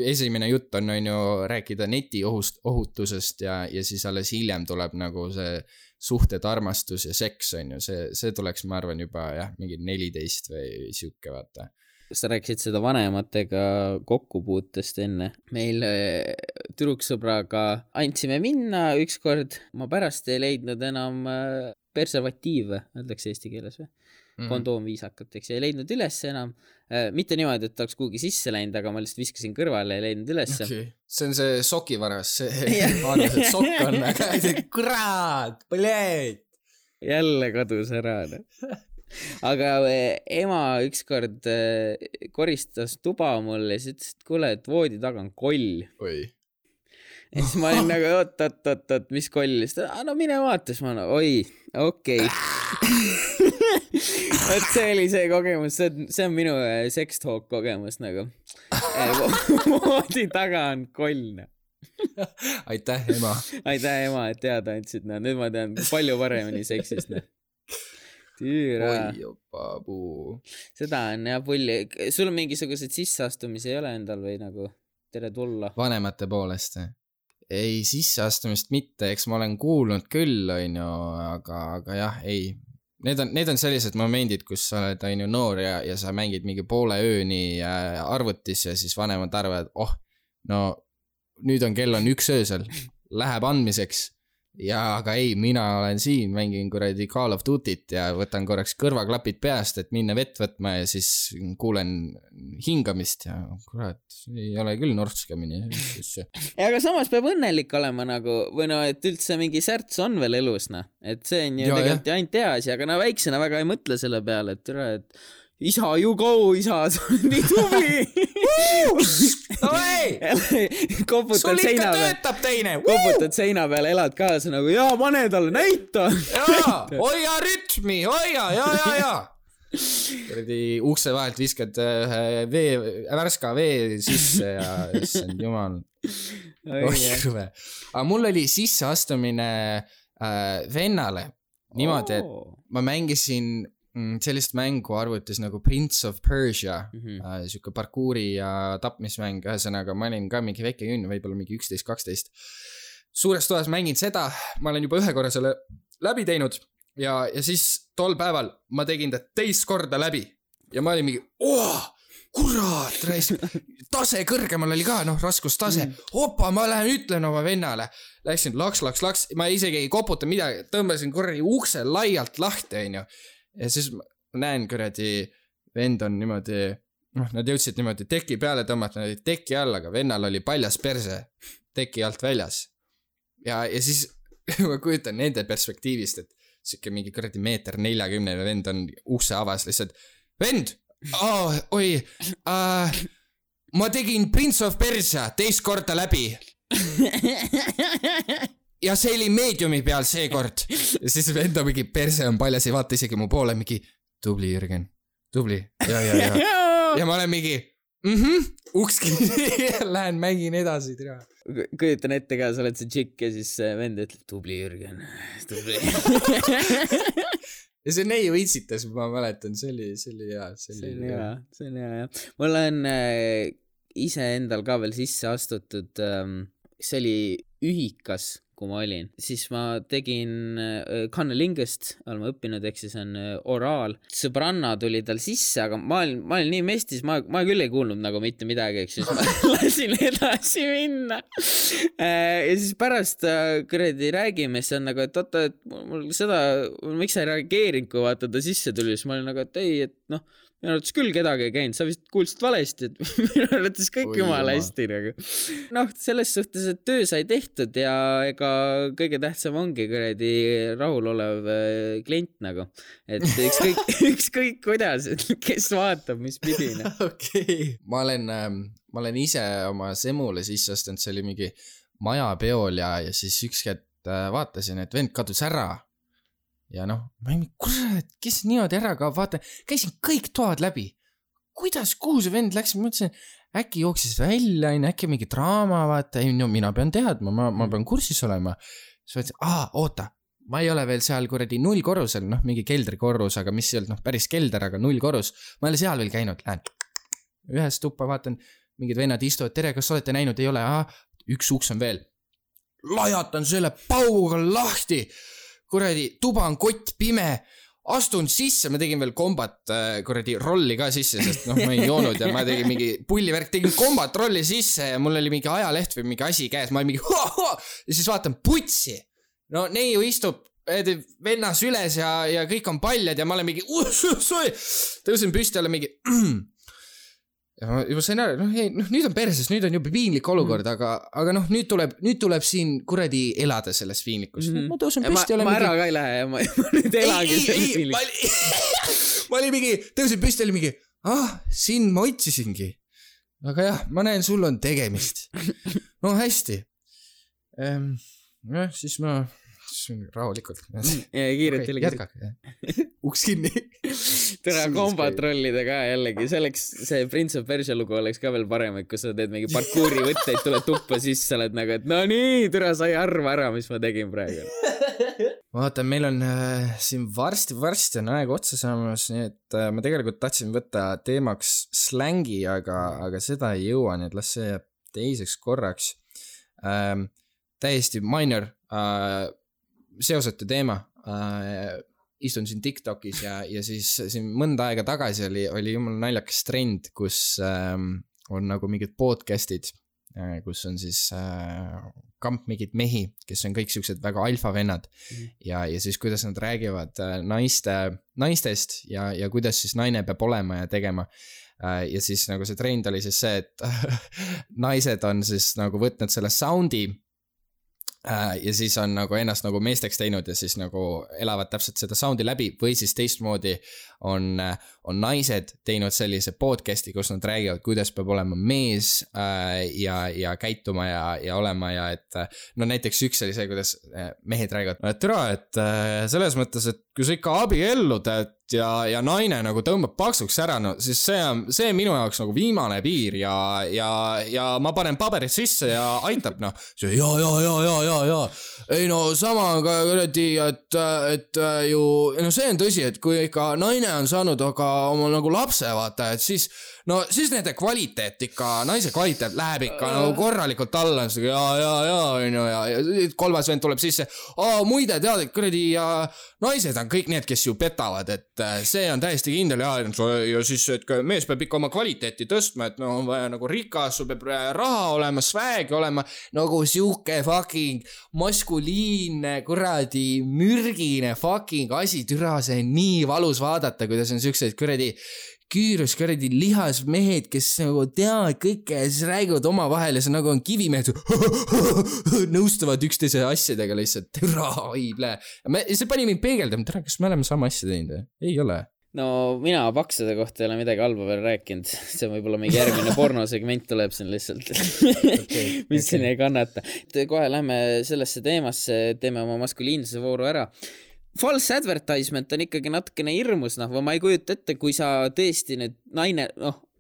esimene jutt on ju rääkida neti ohutusest ja siis alles hiljem tuleb nagu see suhted, armastus ja seks on ju, see tuleks, ma arvan, juba mingi 14 või siuke, vaata. Sa rääkisid seda vanematega kokkupuutest enne. Meil tüdruksõbraga andsime minna ükskord, ma pärast ei leidnud enam preservatiive, öeldakse eesti keeles või? Kondoom viisakalt, eks, ei leidnud üles enam. Mitte niimoodi, et oleks kuhugi sisse läinud, aga ma lihtsalt viskasin kõrvale ja ei leidnud üles. Okay. See on see sokivaras, see arvas, et sokk on, aga kurat, põleed. Jälle kadus ära. aga ema ükskord koristas tuba mulle ja siis ütles, et kuule, et voodi taga on koll. Oi. Ja siis ma olin nagu, oot, mis koll? No mine vaata, siis ma olen, oi, okei. Et see oli see kogemus, see on minu sex talk kogemus nagu. Voodi taga on koll. Aitäh, ema. Aitäh, ema, et teada andsid. Nüüd ma tean palju paremini seksist. Tüüra. Oi, jopa puu. Seda on jah pulli. Sul on mingisugused sisseastumisi ei ole endal või nagu tere tulla? Vanemate poolest. Ei, sisseastumist mitte, eks ma olen kuulnud küll, aga jah, ei. Need on sellised momendid, kus sa oled noor ja sa mängid mingi poole ööni arvutis ja siis vanemad arvavad, no nüüd on kell 1 öösel, läheb andmiseks. Ja aga ei, mina olen siin, mängin kuradi Call of Duty't ja võtan korraks kõrvaklapid peast, et minna vett võtma ja siis kuulen hingamist ja kurat, ei ole küll norskamini. Aga samas peab õnnelik olema nagu, või no, et üldse mingi särts on veel elus, et see on ju tegelikult ainult hea asi, aga no väiksena väga ei mõtle selle peale, et isa, you go, isa, sa on nii tubli. Koputad seina peal. Töötab teine. Koputad seina peal, elad kaasa nagu, jaa, pane talle, näita. Jaa, hoia rütmi, hoia, jaa. Kuradi ukse vahelt viskad värska vee sisse ja issand jumal. Aga mul oli sisseastumine vennale niimoodi, et ma mängisin sellist mängu arvutis nagu Prince of Persia, siuke parkuuri ja tapmismäng, ühesõnaga ma olin ka mingi väike jünn, võib-olla mingi 11-12. Suures toas mängin seda, ma olen juba 1 korra selle läbi teinud ja siis tol päeval ma tegin ta teist korda läbi ja ma olin mingi, kurat, tase kõrgemal oli ka, raskustase, opa, ma lähen ütlen oma vennale, läksin laks, ma isegi ei koputa midagi, tõmbasin korri ukse laialt lahti, onju. Ja siis ma näen kuradi vend on niimoodi, nad jõudsid niimoodi teki peale tõmmata, nad olid teki all, aga vennal oli paljas perse teki alt väljas. Ja siis ma kujutan nende perspektiivist, et siuke mingi kuradi 1.40 meeter vend on ukse avas lihtsalt. Vend! Oi, ma tegin Prince of Persia teist korda läbi. Ja see oli meediumi peal see kord. Ja siis venda mingi perse on paljas, ei vaata isegi mu poole mingi, tubli Jürgen, tubli. Ja. Ja ma olen mingi, uks kinni, lähen mängin edasi. Kujutan ette ka, sa oled see tšikk ja siis vend ütleb, tubli Jürgen, tubli. Ja see neiu itsitas, ma mäletan, see oli hea. See on hea. Mul on ise endal ka veel sisse astutud, see oli ühikas, kui ma olin. Siis ma tegin kannelingust, olen ma õppinud, ehk siis on oraal. Sõbranna tuli tal sisse, aga ma olin nii mestis, ma küll ei kuulnud nagu mitte midagi, ehk siis ma lasin edasi minna. Ja siis pärast kuradi räägime, siis on nagu, et oota, et mul seda, miks sa ei reageerinud, kui vaata ta sisse tuli, siis ma olin nagu, et ei, et minu arvates küll kedagi ei käinud, sa vist kuulsid valesti, et minu arvates kõik jumala hästi nagu. Selles suhtes, et töö sai tehtud ja ega kõige tähtsam ongi kuradi rahulolev klient nagu. Et ükskõik kuidas, et kes vaatab, mis pidine. Okei. Ma olen ise oma semule sisse astunud, see oli mingi majapeol ja siis ükskord vaatasin, et vend kadus ära. Ja ma ei mingi, kurat, kes niimoodi ära kaob, vaata, käisin kõik toad läbi. Kuidas, kuhu see vend läks? Ma mõtlesin, äkki jooksis välja, äkki mingi draama, vaata, mina pean teadma, ma pean kursis olema. Siis vaatasin, oota, ma ei ole veel seal kuradi 0 korrusel, mingi keldrikorrus, aga mis ei olnud päris kelder, aga 0 korrus. Ma ei ole seal veel käinud, lähen ühes tuppa, vaatan, mingid vennad istuvad, tere, kas olete näinud, ei ole, üks uks on veel. Lajatan selle pauguga lahti. Kuradi, tuba on kott pime, astun sisse, ma tegin veel kombat kuradi rolli ka sisse, sest ma ei joonud ja ma tegin mingi pullivärk, tegin kombat rolli sisse ja mul oli mingi ajaleht või mingi asi käes, ma olin mingi ja siis vaatan putsi. No neiu istub vennas üles ja kõik on paljad ja ma olen mingi tõusin püsti alla mingi juba sain aru, nüüd on perses, nüüd on juba piinlik olukord, aga nüüd tuleb siin kuradi elada selles piinlikus. Ma tõusen püsti. Ma ära ka ei lähe ja ma nüüd elagi selles piinlikus. Ma olin mingi, tõusin püsti, oli mingi, siin ma otsisingi. Aga jah, ma näen, sul on tegemist. No hästi. Siis ma rahulikult. Ja kiirelt jällegi. Jätkake. Uks kinni. Tere kombatrollida ka jällegi. Selleks see Prince of Persia lugu oleks ka veel parem, et kui sa teed mingi parkuuri võtteid, tuled tuppa sisse, sa oled nagu, et no nii, tere, sa ei arva ära, mis ma tegin praegu. Vaata, meil on siin varsti on aeg otsa saamas, nii et ma tegelikult tahtsin võtta teemaks slängi, aga seda ei jõua, nii et las see jääb teiseks korraks. Täiesti minor seosetu teema. Istun siin TikTokis ja siis siin mõnda aega tagasi oli jumal naljakas trend, kus on nagu mingid podcastid, kus on siis kamp mingid mehi, kes on kõik siuksed väga alfavennad ja siis kuidas nad räägivad naistest ja kuidas siis naine peab olema ja tegema. Ja siis nagu see trend oli siis see, et naised on siis nagu võtnud selle soundi ja siis on nagu ennast nagu meesteks teinud ja siis nagu elavad täpselt seda soundi läbi või siis teistmoodi on naised teinud sellise podcasti, kus nad räägivad, kuidas peab olema mees ja käituma ja olema ja et no näiteks üks oli see, kuidas mehed räägivad, et selles mõttes, et kui sa ikka abiellud ja naine nagu tõmbab paksuks ära, no siis see minu jaoks nagu viimane piir ja ma panen paberid sisse ja aitab, noh. Ja. Ei no sama on ka kuradi, et ju, no see on tõsi, et kui ikka naine on saanud aga oma nagu lapse, vaata, et siis nende kvaliteet ikka, naise kvaliteet läheb ikka nagu korralikult alla, ja kolmas vend tuleb sisse, muide tead, et kuradi naised on kõik need, kes ju petavad, et see on täiesti kindel ja siis, et mees peab ikka oma kvaliteeti tõstma, et no on vaja nagu rikas, sul peab raha olema, swag olema, nagu siuke fucking maskuliinne, kuradi mürgine fucking asi, türa, see on nii valus vaadata, kuidas on siuksed kuradi küürus, kuradi lihas mehed, kes nagu teavad kõike ja siis räägivad oma vahel ja see nagu on kivimehed nõustuvad üksteise asjadega lihtsalt, türa, oible. See pani mind peegeldama, tere, kas me oleme sama asja teinud? Ei ole. No mina paksude kohta ei ole midagi halba veel rääkinud, see võib-olla mingi järgmine pornosegment tuleb siin lihtsalt, mis siin ei kannata. Kohe lähme sellesse teemasse, teeme oma maskuliinsuse vooru ära. False advertisement on ikkagi natukene hirmus, või ma ei kujuta ette, kui sa tõesti nüüd naine,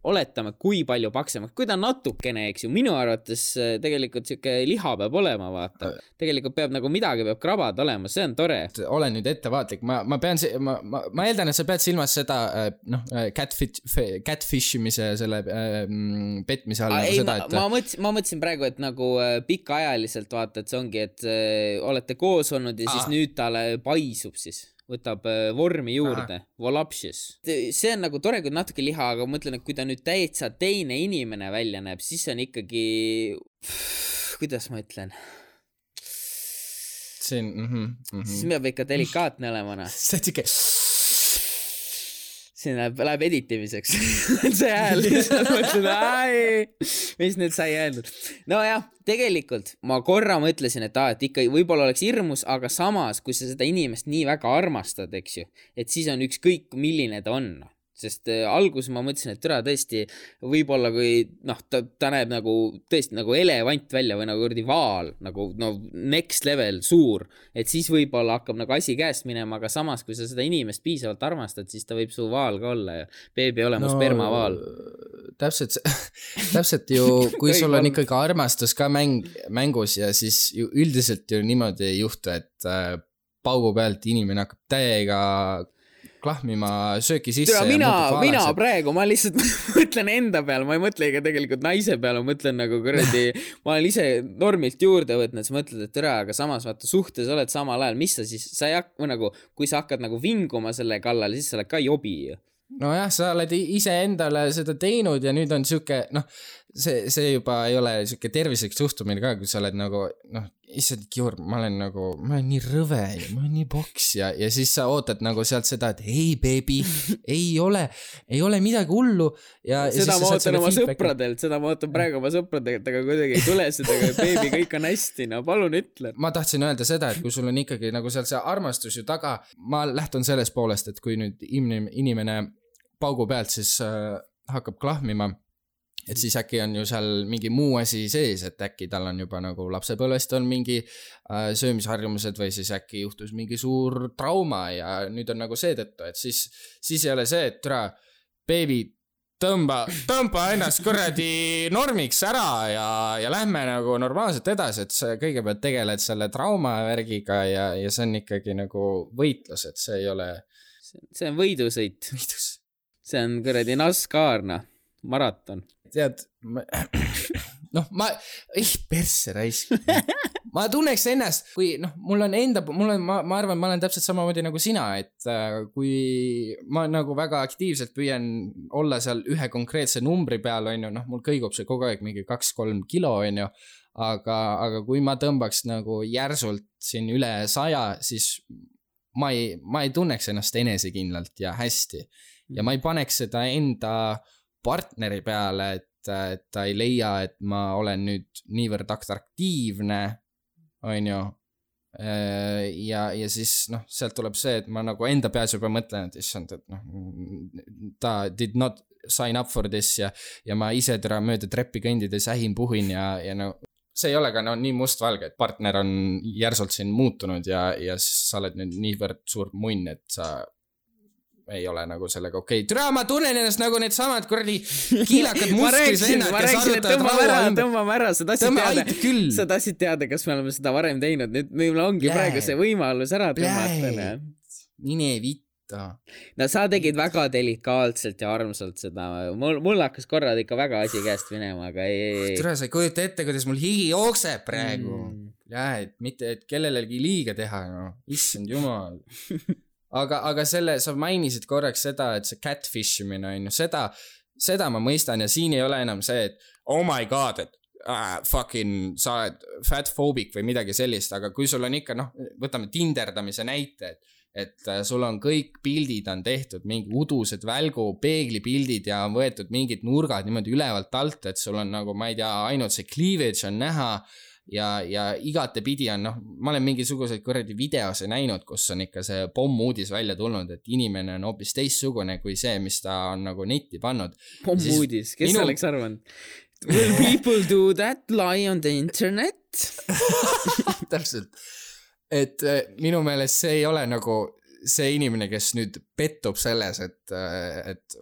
oletame, kui palju paksemaks, kui ta natukene, eks ju, minu arvates tegelikult siuke liha peab olema, vaata. Tegelikult peab nagu midagi peab krabad olema, see on tore. Olen nüüd ettevaatlik, ma eeldan, et sa pead silmas seda, catfishimise selle petmise all. Ei, ma mõtlesin praegu, et nagu pikaajaliselt vaata, et see ongi, et olete koos olnud ja siis nüüd talle paisub siis. Võtab vormi juurde, volapsius. See on nagu tore, kui natuke liha, aga mõtlen, et kui ta nüüd täitsa teine inimene välja näeb, siis on ikkagi, kuidas ma ütlen? See on, Siis peab ikka delikaatne olema, See on siuke... Siin läheb editimiseks. See hääl lihtsalt mõtlen, mis nüüd sai öeldud. No jah, tegelikult ma korra mõtlesin, et ikka võib-olla oleks hirmus, aga samas, kui sa seda inimest nii väga armastad, eks ju, et siis on ükskõik, milline ta on. Sest algus ma mõtlesin, et türa tõesti võib-olla kui ta näeb nagu tõesti nagu elevant välja või nagu kurdi vaal, nagu next level suur, et siis võib-olla hakkab nagu asi käest minema, aga samas kui sa seda inimest piisavalt armastad, siis ta võib su vaal ka olla ja beebi ole mu spermavaal. Täpselt ju, kui sul on ikkagi armastus ka mängus ja siis ju üldiselt ju niimoodi ei juhtu, et paugu pealt inimene hakkab täiega klahmima sööki sisse. Mina praegu, ma lihtsalt mõtlen enda peale, ma ei mõtle ega tegelikult naise peale, ma mõtlen nagu kuradi, ma olen ise normilt juurde võtnud, siis mõtled, et tere, aga samas vaata suhtes oled samal ajal, mis sa siis, nagu, kui sa hakkad nagu vinguma selle kallal, siis sa oled ka jobi ju. Nojah, sa oled ise endale seda teinud ja nüüd on siuke, see juba ei ole siuke tervislik suhtumine ka, kui sa oled nagu, issand, Georg, ma olen nii rõve ja ma olen nii boks ja siis sa ootad nagu sealt seda, et ei, baby, ei ole midagi hullu ja seda ma ootan oma sõpradelt, seda ma ootan praegu oma sõpradelt, aga kuidagi ei tule seda, baby, kõik on hästi, no palun ütle. Ma tahtsin öelda seda, et kui sul on ikkagi nagu seal see armastus ju taga, ma lähtun sellest poolest, et kui nüüd inimene paugu pealt siis hakkab klahmima, et siis äkki on ju seal mingi muu asi sees, et äkki tal on juba nagu lapsepõlvest on mingi söömisharjumused või siis äkki juhtus mingi suur trauma ja nüüd on nagu seetõttu, et siis ei ole see, et türa, baby, tõmba ennast kuradi normiks ära ja lähme nagu normaalselt edasi, et sa kõigepealt tegeled selle traumavärgiga ja see on ikkagi nagu võitlus, et see ei ole... See on võidusõit. See on kuradi NASCAR, maraton. Tead, persse raisk. Ma tunneks ennast, kui ma arvan, ma olen täpselt samamoodi nagu sina, et kui ma nagu väga aktiivselt püüan olla seal ühe konkreetse numbri peal, on ju, mul kõigub see kogu aeg mingi 2-3 kilo, on ju, aga kui ma tõmbaks nagu järsult siin üle 100, siis ma ei tunneks ennast enesekindlalt ja hästi ja ma ei paneks seda enda partneri peale, et ta ei leia, et ma olen nüüd niivõrd atraktiivne, on ju, ja siis sealt tuleb see, et ma nagu enda peas juba mõtlen, et issand, et ta did not sign up for this ja ma ise mööda treppi kõndides puhin ja see ei ole ka nii mustvalge, et partner on järsult siin muutunud ja sa oled nüüd niivõrd suur munn, et sa ei ole nagu sellega okei. Türa, ma tunnen ennast nagu need samad kuradi kiilakad musklisennad, kes arutavad tõmbame ära, sa tahtsid teada, kas me oleme seda varem teinud, nüüd meil ongi praegu see võimalus ära tõmmata. Mine vitta. No sa tegid väga delikaatselt ja armsalt seda, mul hakkas korrad ikka väga asi käest minema, aga ei. Türa, sa ei kujuta ette, kuidas mul higi jookseb praegu. Et mitte, et kellelegi liiga teha, issand jumal. Aga selle, sa mainisid korraks seda, et see catfishimine on ju, seda ma mõistan ja siin ei ole enam see, et oh my god, et fucking sa oled fatphobic või midagi sellist, aga kui sul on ikka, võtame tinderdamise näite, et sul on kõik pildid on tehtud, mingi udused välgu, peeglipildid ja on võetud mingid nurgad niimoodi ülevalt alt, et sul on nagu, ma ei tea, ainult see cleavage on näha ja igate pidi on, ma olen mingisuguseid kuradi videose näinud, kus on ikka see pommuudis välja tulnud, et inimene on hoopis teistsugune kui see, mis ta on nagu netti pannud. Pommuudis, kes oleks arvanud? Will people do that, lie on the internet? Täpselt. Et minu meelest see ei ole nagu see inimene, kes nüüd pettub selles, et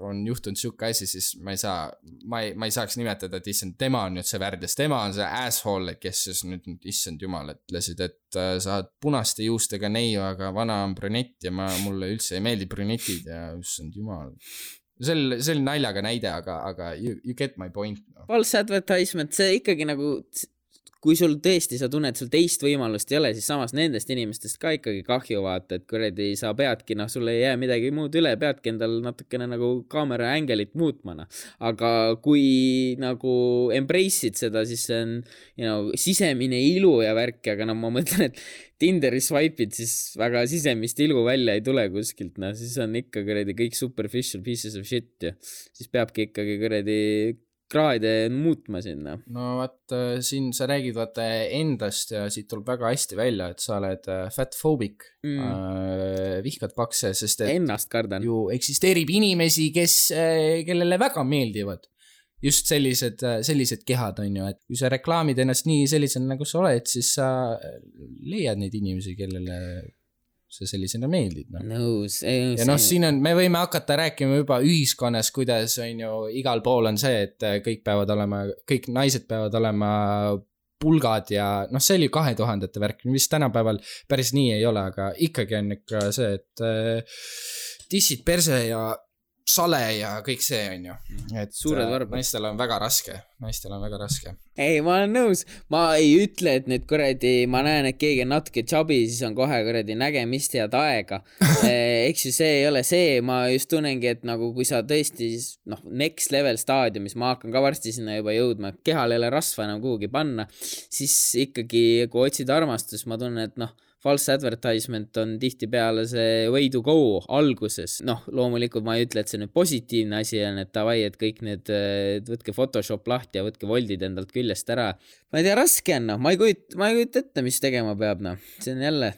on juhtunud siuke asi, siis ma ei saaks nimetada, et issand, tema on nüüd see värdjas, tema on see asshole, kes siis nüüd issand jumal ütlesid, et sa oled punaste juustega neiu, aga vana on brünett ja mulle üldse ei meeldi brünetid ja issand jumal. See oli naljaga näide, aga you get my point. False advertisement, see ikkagi nagu... Kui sul tõesti, sa tunned, sul teist võimalust ei ole, siis samas nendest inimestest ka ikkagi kahju vaata, et kuradi sa peadki, sul ei jää midagi muud üle, peadki endal natukene nagu kaamera ängelit muutmana. Aga kui nagu embrace'id seda, siis see on sisemine ilu ja värk, aga ma mõtlen, et Tinderi swipe'id siis väga sisemist ilu välja ei tule kuskilt, siis on ikka kuradi kõik superficial pieces of shit ja siis peabki ikkagi kuradi kraade muutma sinna. No vaat siin sa räägid vaata endast ja siit tuleb väga hästi välja, et sa oled fatphobic, vihkad pakse, sest et ennast kardan. Ju eksisteerib inimesi, kellele väga meeldivad just sellised kehad on ju, et kui sa reklaamid ennast nii sellisena nagu sa oled, siis sa leiad neid inimesi, kellele see sellisena meeldid. Ja siin on, me võime hakata rääkima juba ühiskonnas, kuidas on ju igal pool on see, et kõik naised peavad olema pulgad ja see oli 2000-te värk, mis tänapäeval päris nii ei ole, aga ikkagi on ikka see, et tissid perse ja sale ja kõik see on ju. Et suured varbad. Naistel on väga raske. Ei, ma olen nõus. Ma ei ütle, et nüüd kuradi, ma näen, et keegi on natuke chubby, siis on kohe kuradi nägemist head aega. Eks ju see ei ole see, ma just tunnengi, et nagu kui sa tõesti next level staadiumis, ma hakkan ka varsti sinna juba jõudma, kehal ei ole rasva enam kuhugi panna, siis ikkagi, kui otsid armastus, ma tunnen, et false advertisement on tihtipeale see way to go alguses. Loomulikult ma ei ütle, et see nüüd positiivne asi on, et davai, et kõik need, võtke Photoshop lahti ja võtke voldid endalt küljest ära. Ma ei tea, raske on, ma ei kujuta ette, mis tegema peab, See on jälle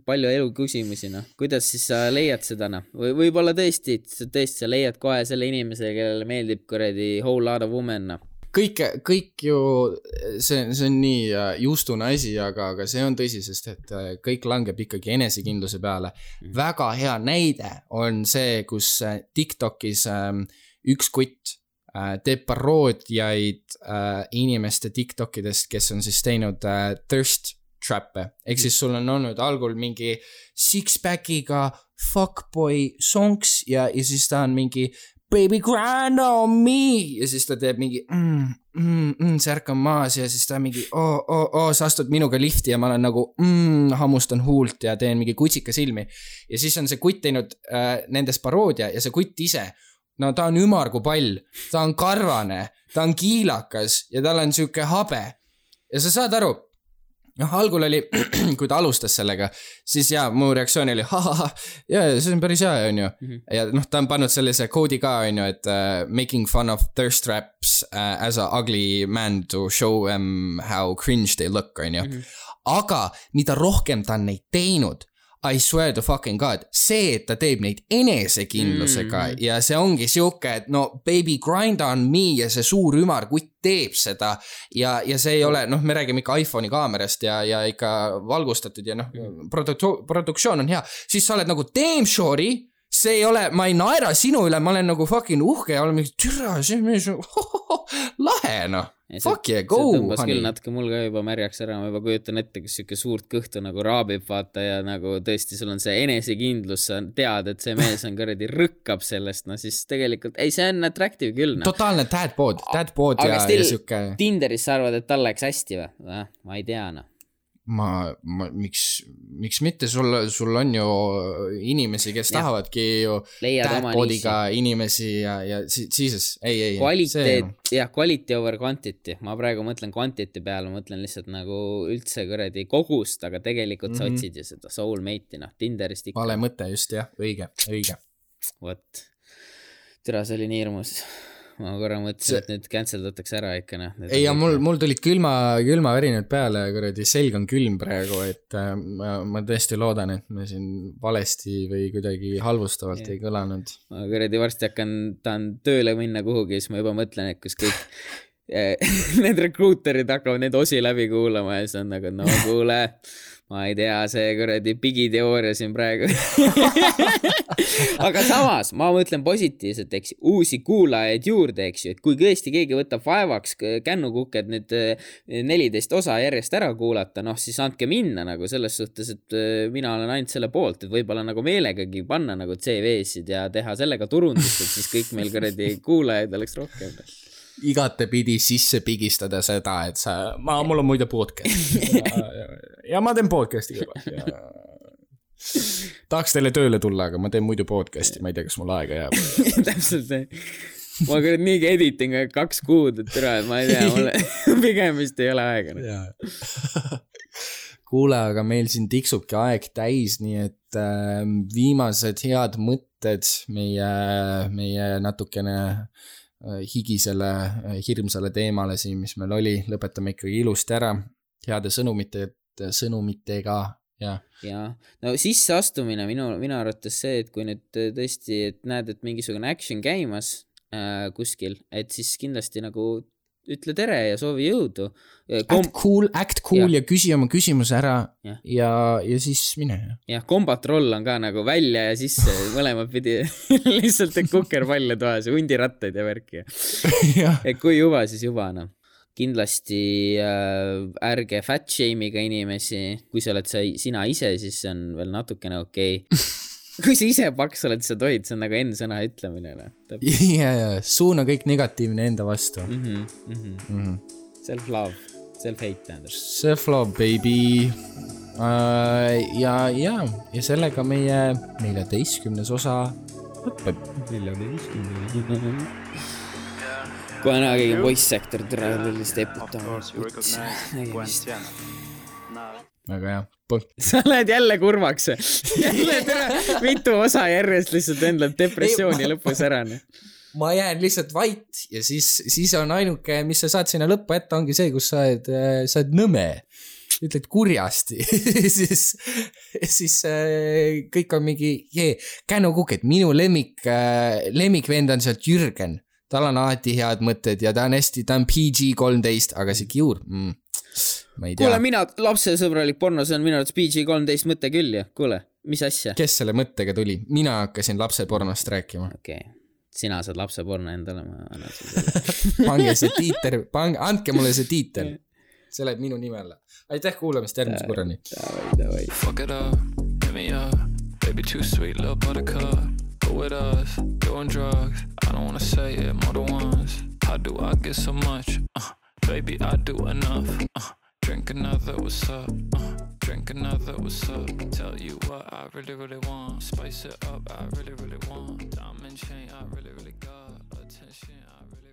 palju elu küsimusi, Kuidas siis sa leiad seda, Või võib-olla tõesti sa leiad kohe selle inimese, kellele meeldib kuradi whole lot of women, Kõik ju, see on nii juustune asi, aga see on tõsi, sest et kõik langeb ikkagi enesekindluse peale. Väga hea näide on see, kus TikTokis üks kutt teeb paroodiaid inimeste TikTokidest, kes on siis teinud thirst trap'e. Ehk siis sul on olnud algul mingi six-packiga fuckboy songs ja siis ta on mingi baby grind on me ja siis ta teeb mingi särk on maas ja siis ta mingi sa astud minuga lifti ja ma olen nagu hammustan huult ja teen mingi kutsika silmi ja siis on see kutt teinud nendes paroodia ja see kutt ise ta on ümar kui pall, ta on karvane, ta on kiilakas ja tal on siuke habe ja sa saad aru algul oli, kui ta alustas sellega, siis mu reaktsioon oli see on päris hea, on ju. Ja ta on pannud sellise koodi ka, on ju, et making fun of thirst traps as a ugly man to show them how cringe they look, on ju. Aga mida rohkem ta on neid teinud, I swear to fucking god, see, et ta teeb neid enesekindlusega ja see ongi siuke, et baby grind on me ja see suur ümar kutt teeb seda ja see ei ole, me räägime ikka iPhone'i kaamerast ja ikka valgustatud ja produktsioon on hea, siis sa oled nagu damn shorty, see ei ole, ma ei naera sinu üle, ma olen nagu fucking uhke ja olen mingi türa, see mees lahe, Fuck yeah, go, see tõmbas küll natuke mul ka juba märjaks ära, ma juba kujutan ette, kus siuke suurt kõhtu nagu raabib vaata ja nagu tõesti sul on see enesekindlus, sa tead, et see mees on kuradi rõkkab sellest, siis tegelikult, ei see on attractive küll. Totaalne dadbod ja siuke. Tinderis sa arvad, et tal läks hästi või? Ma ei tea, miks mitte, sul on ju inimesi, kes tahavadki ju dadbodiga inimesi ja siis ei. Quality over quantity, ma praegu mõtlen quantity peale, ma mõtlen lihtsalt nagu üldse kuradi kogust, aga tegelikult sa otsid ju seda soulmate'i, Tinderist ikka. Vale mõte just, jah, õige. Vot, türa see oli nii hirmus. Ma korra mõtlesin, et nüüd canceldatakse ära ikka. Ei, ja mul tulid külma värinud peale, kuradi selg on külm praegu, et ma tõesti loodan, et me siin valesti või kuidagi halvustavalt ei kõlanud. Ma kuradi varsti tahan tööle minna kuhugi, siis ma juba mõtlen, et kus kõik need rekruuterid hakkavad need osi läbi kuulama ja siis on nagu, kuule, ma ei tea, see kuradi pigiteooria siin praegu. Aga samas, ma mõtlen positiivselt, eks, uusi kuulajaid juurde, eks ju, et kui tõesti keegi võtab vaevaks kännukuked nüüd 14 osa järjest ära kuulata, siis andke minna nagu selles suhtes, et mina olen ainult selle poolt, et võib-olla nagu meelegagi panna nagu CV-sid ja teha sellega turundust, et siis kõik meil kuradi kuulajaid oleks rohkem. Igatepidi sisse pigistada seda, et mul on muide podcast ja ma teen podcasti juba tahaks teile tööle tulla, aga ma teen muidu podcasti, ma ei tea, kas mul aega jääb. Täpselt see. Ma küll niigi editing 2 kuud, et türa, ma ei tea, mulle pigem vist ei ole aega. Kuule, aga meil siin tiksubki aeg täis, nii et viimased head mõtted meie natukene higisele, hirmsale teemale siin, mis meil oli, lõpetame ikkagi ilusti ära, heade sõnumitega. Ja, no sisseastumine minu arvates see, et kui nüüd tõesti et näed, et mingisugune action käimas kuskil, et siis kindlasti nagu ütle tere ja soovi jõudu. Act cool ja küsi oma küsimus ära ja siis mine. Jah, combat roll on ka nagu välja ja sisse mõlemad pidi lihtsalt kukerpalle toas ja hundirattaid ja värki. Et kui juba, siis juba, Kindlasti ärge fat shame'iga inimesi, kui sa oled sina ise, siis see on veel natukene okei. kui sa ise paks oled, sa tohid, see on nagu N-sõna ütlemine. Ja, suuna kõik negatiivne enda vastu. Self-love, self-hate tähendab. Self-love, baby. Ja sellega meie 14. osa lõpeb. 14. Kohe näha keegi poisssektor tõrelist eputama. Väga hea. Sa lähed jälle kurvaks. Jälle mitu osa järjest lihtsalt endal depressiooni lõpus ära. Ma jään lihtsalt vait ja siis on ainuke, mis sa saad sinna lõppu ette, ongi see, kus sa oled nõme. Ütled kurjasti. siis kõik on mingi Kännu Kukk, et minu lemmikvend on sealt Jürgen. Tal on alati head mõtted ja ta on PG-13, aga see Kiur, ma ei tea. Kuule, mina lapsesõbralik porno, see on minu arvates PG-13 mõte küll, ja kuule, mis asja? Kes selle mõttega tuli? Mina hakkasin lapsepornost rääkima. Okei. Sina saad lapseporno endale, ma annan pange see tiiter, andke mulle see tiiter. See läheb minu nime alla. Aitäh kuulamist, järgmise korrani. Davai. Fuck it up, hit me up. Baby too sweet, little buttercup. Go with us, doing drugs. I don't wanna say it more than once. How do I get so much? Baby, I do enough. Drink another, what's up? Drink another, what's up? Tell you what I really, really want. Spice it up, I really, really want. Diamond chain, I really, really got. Attention, I really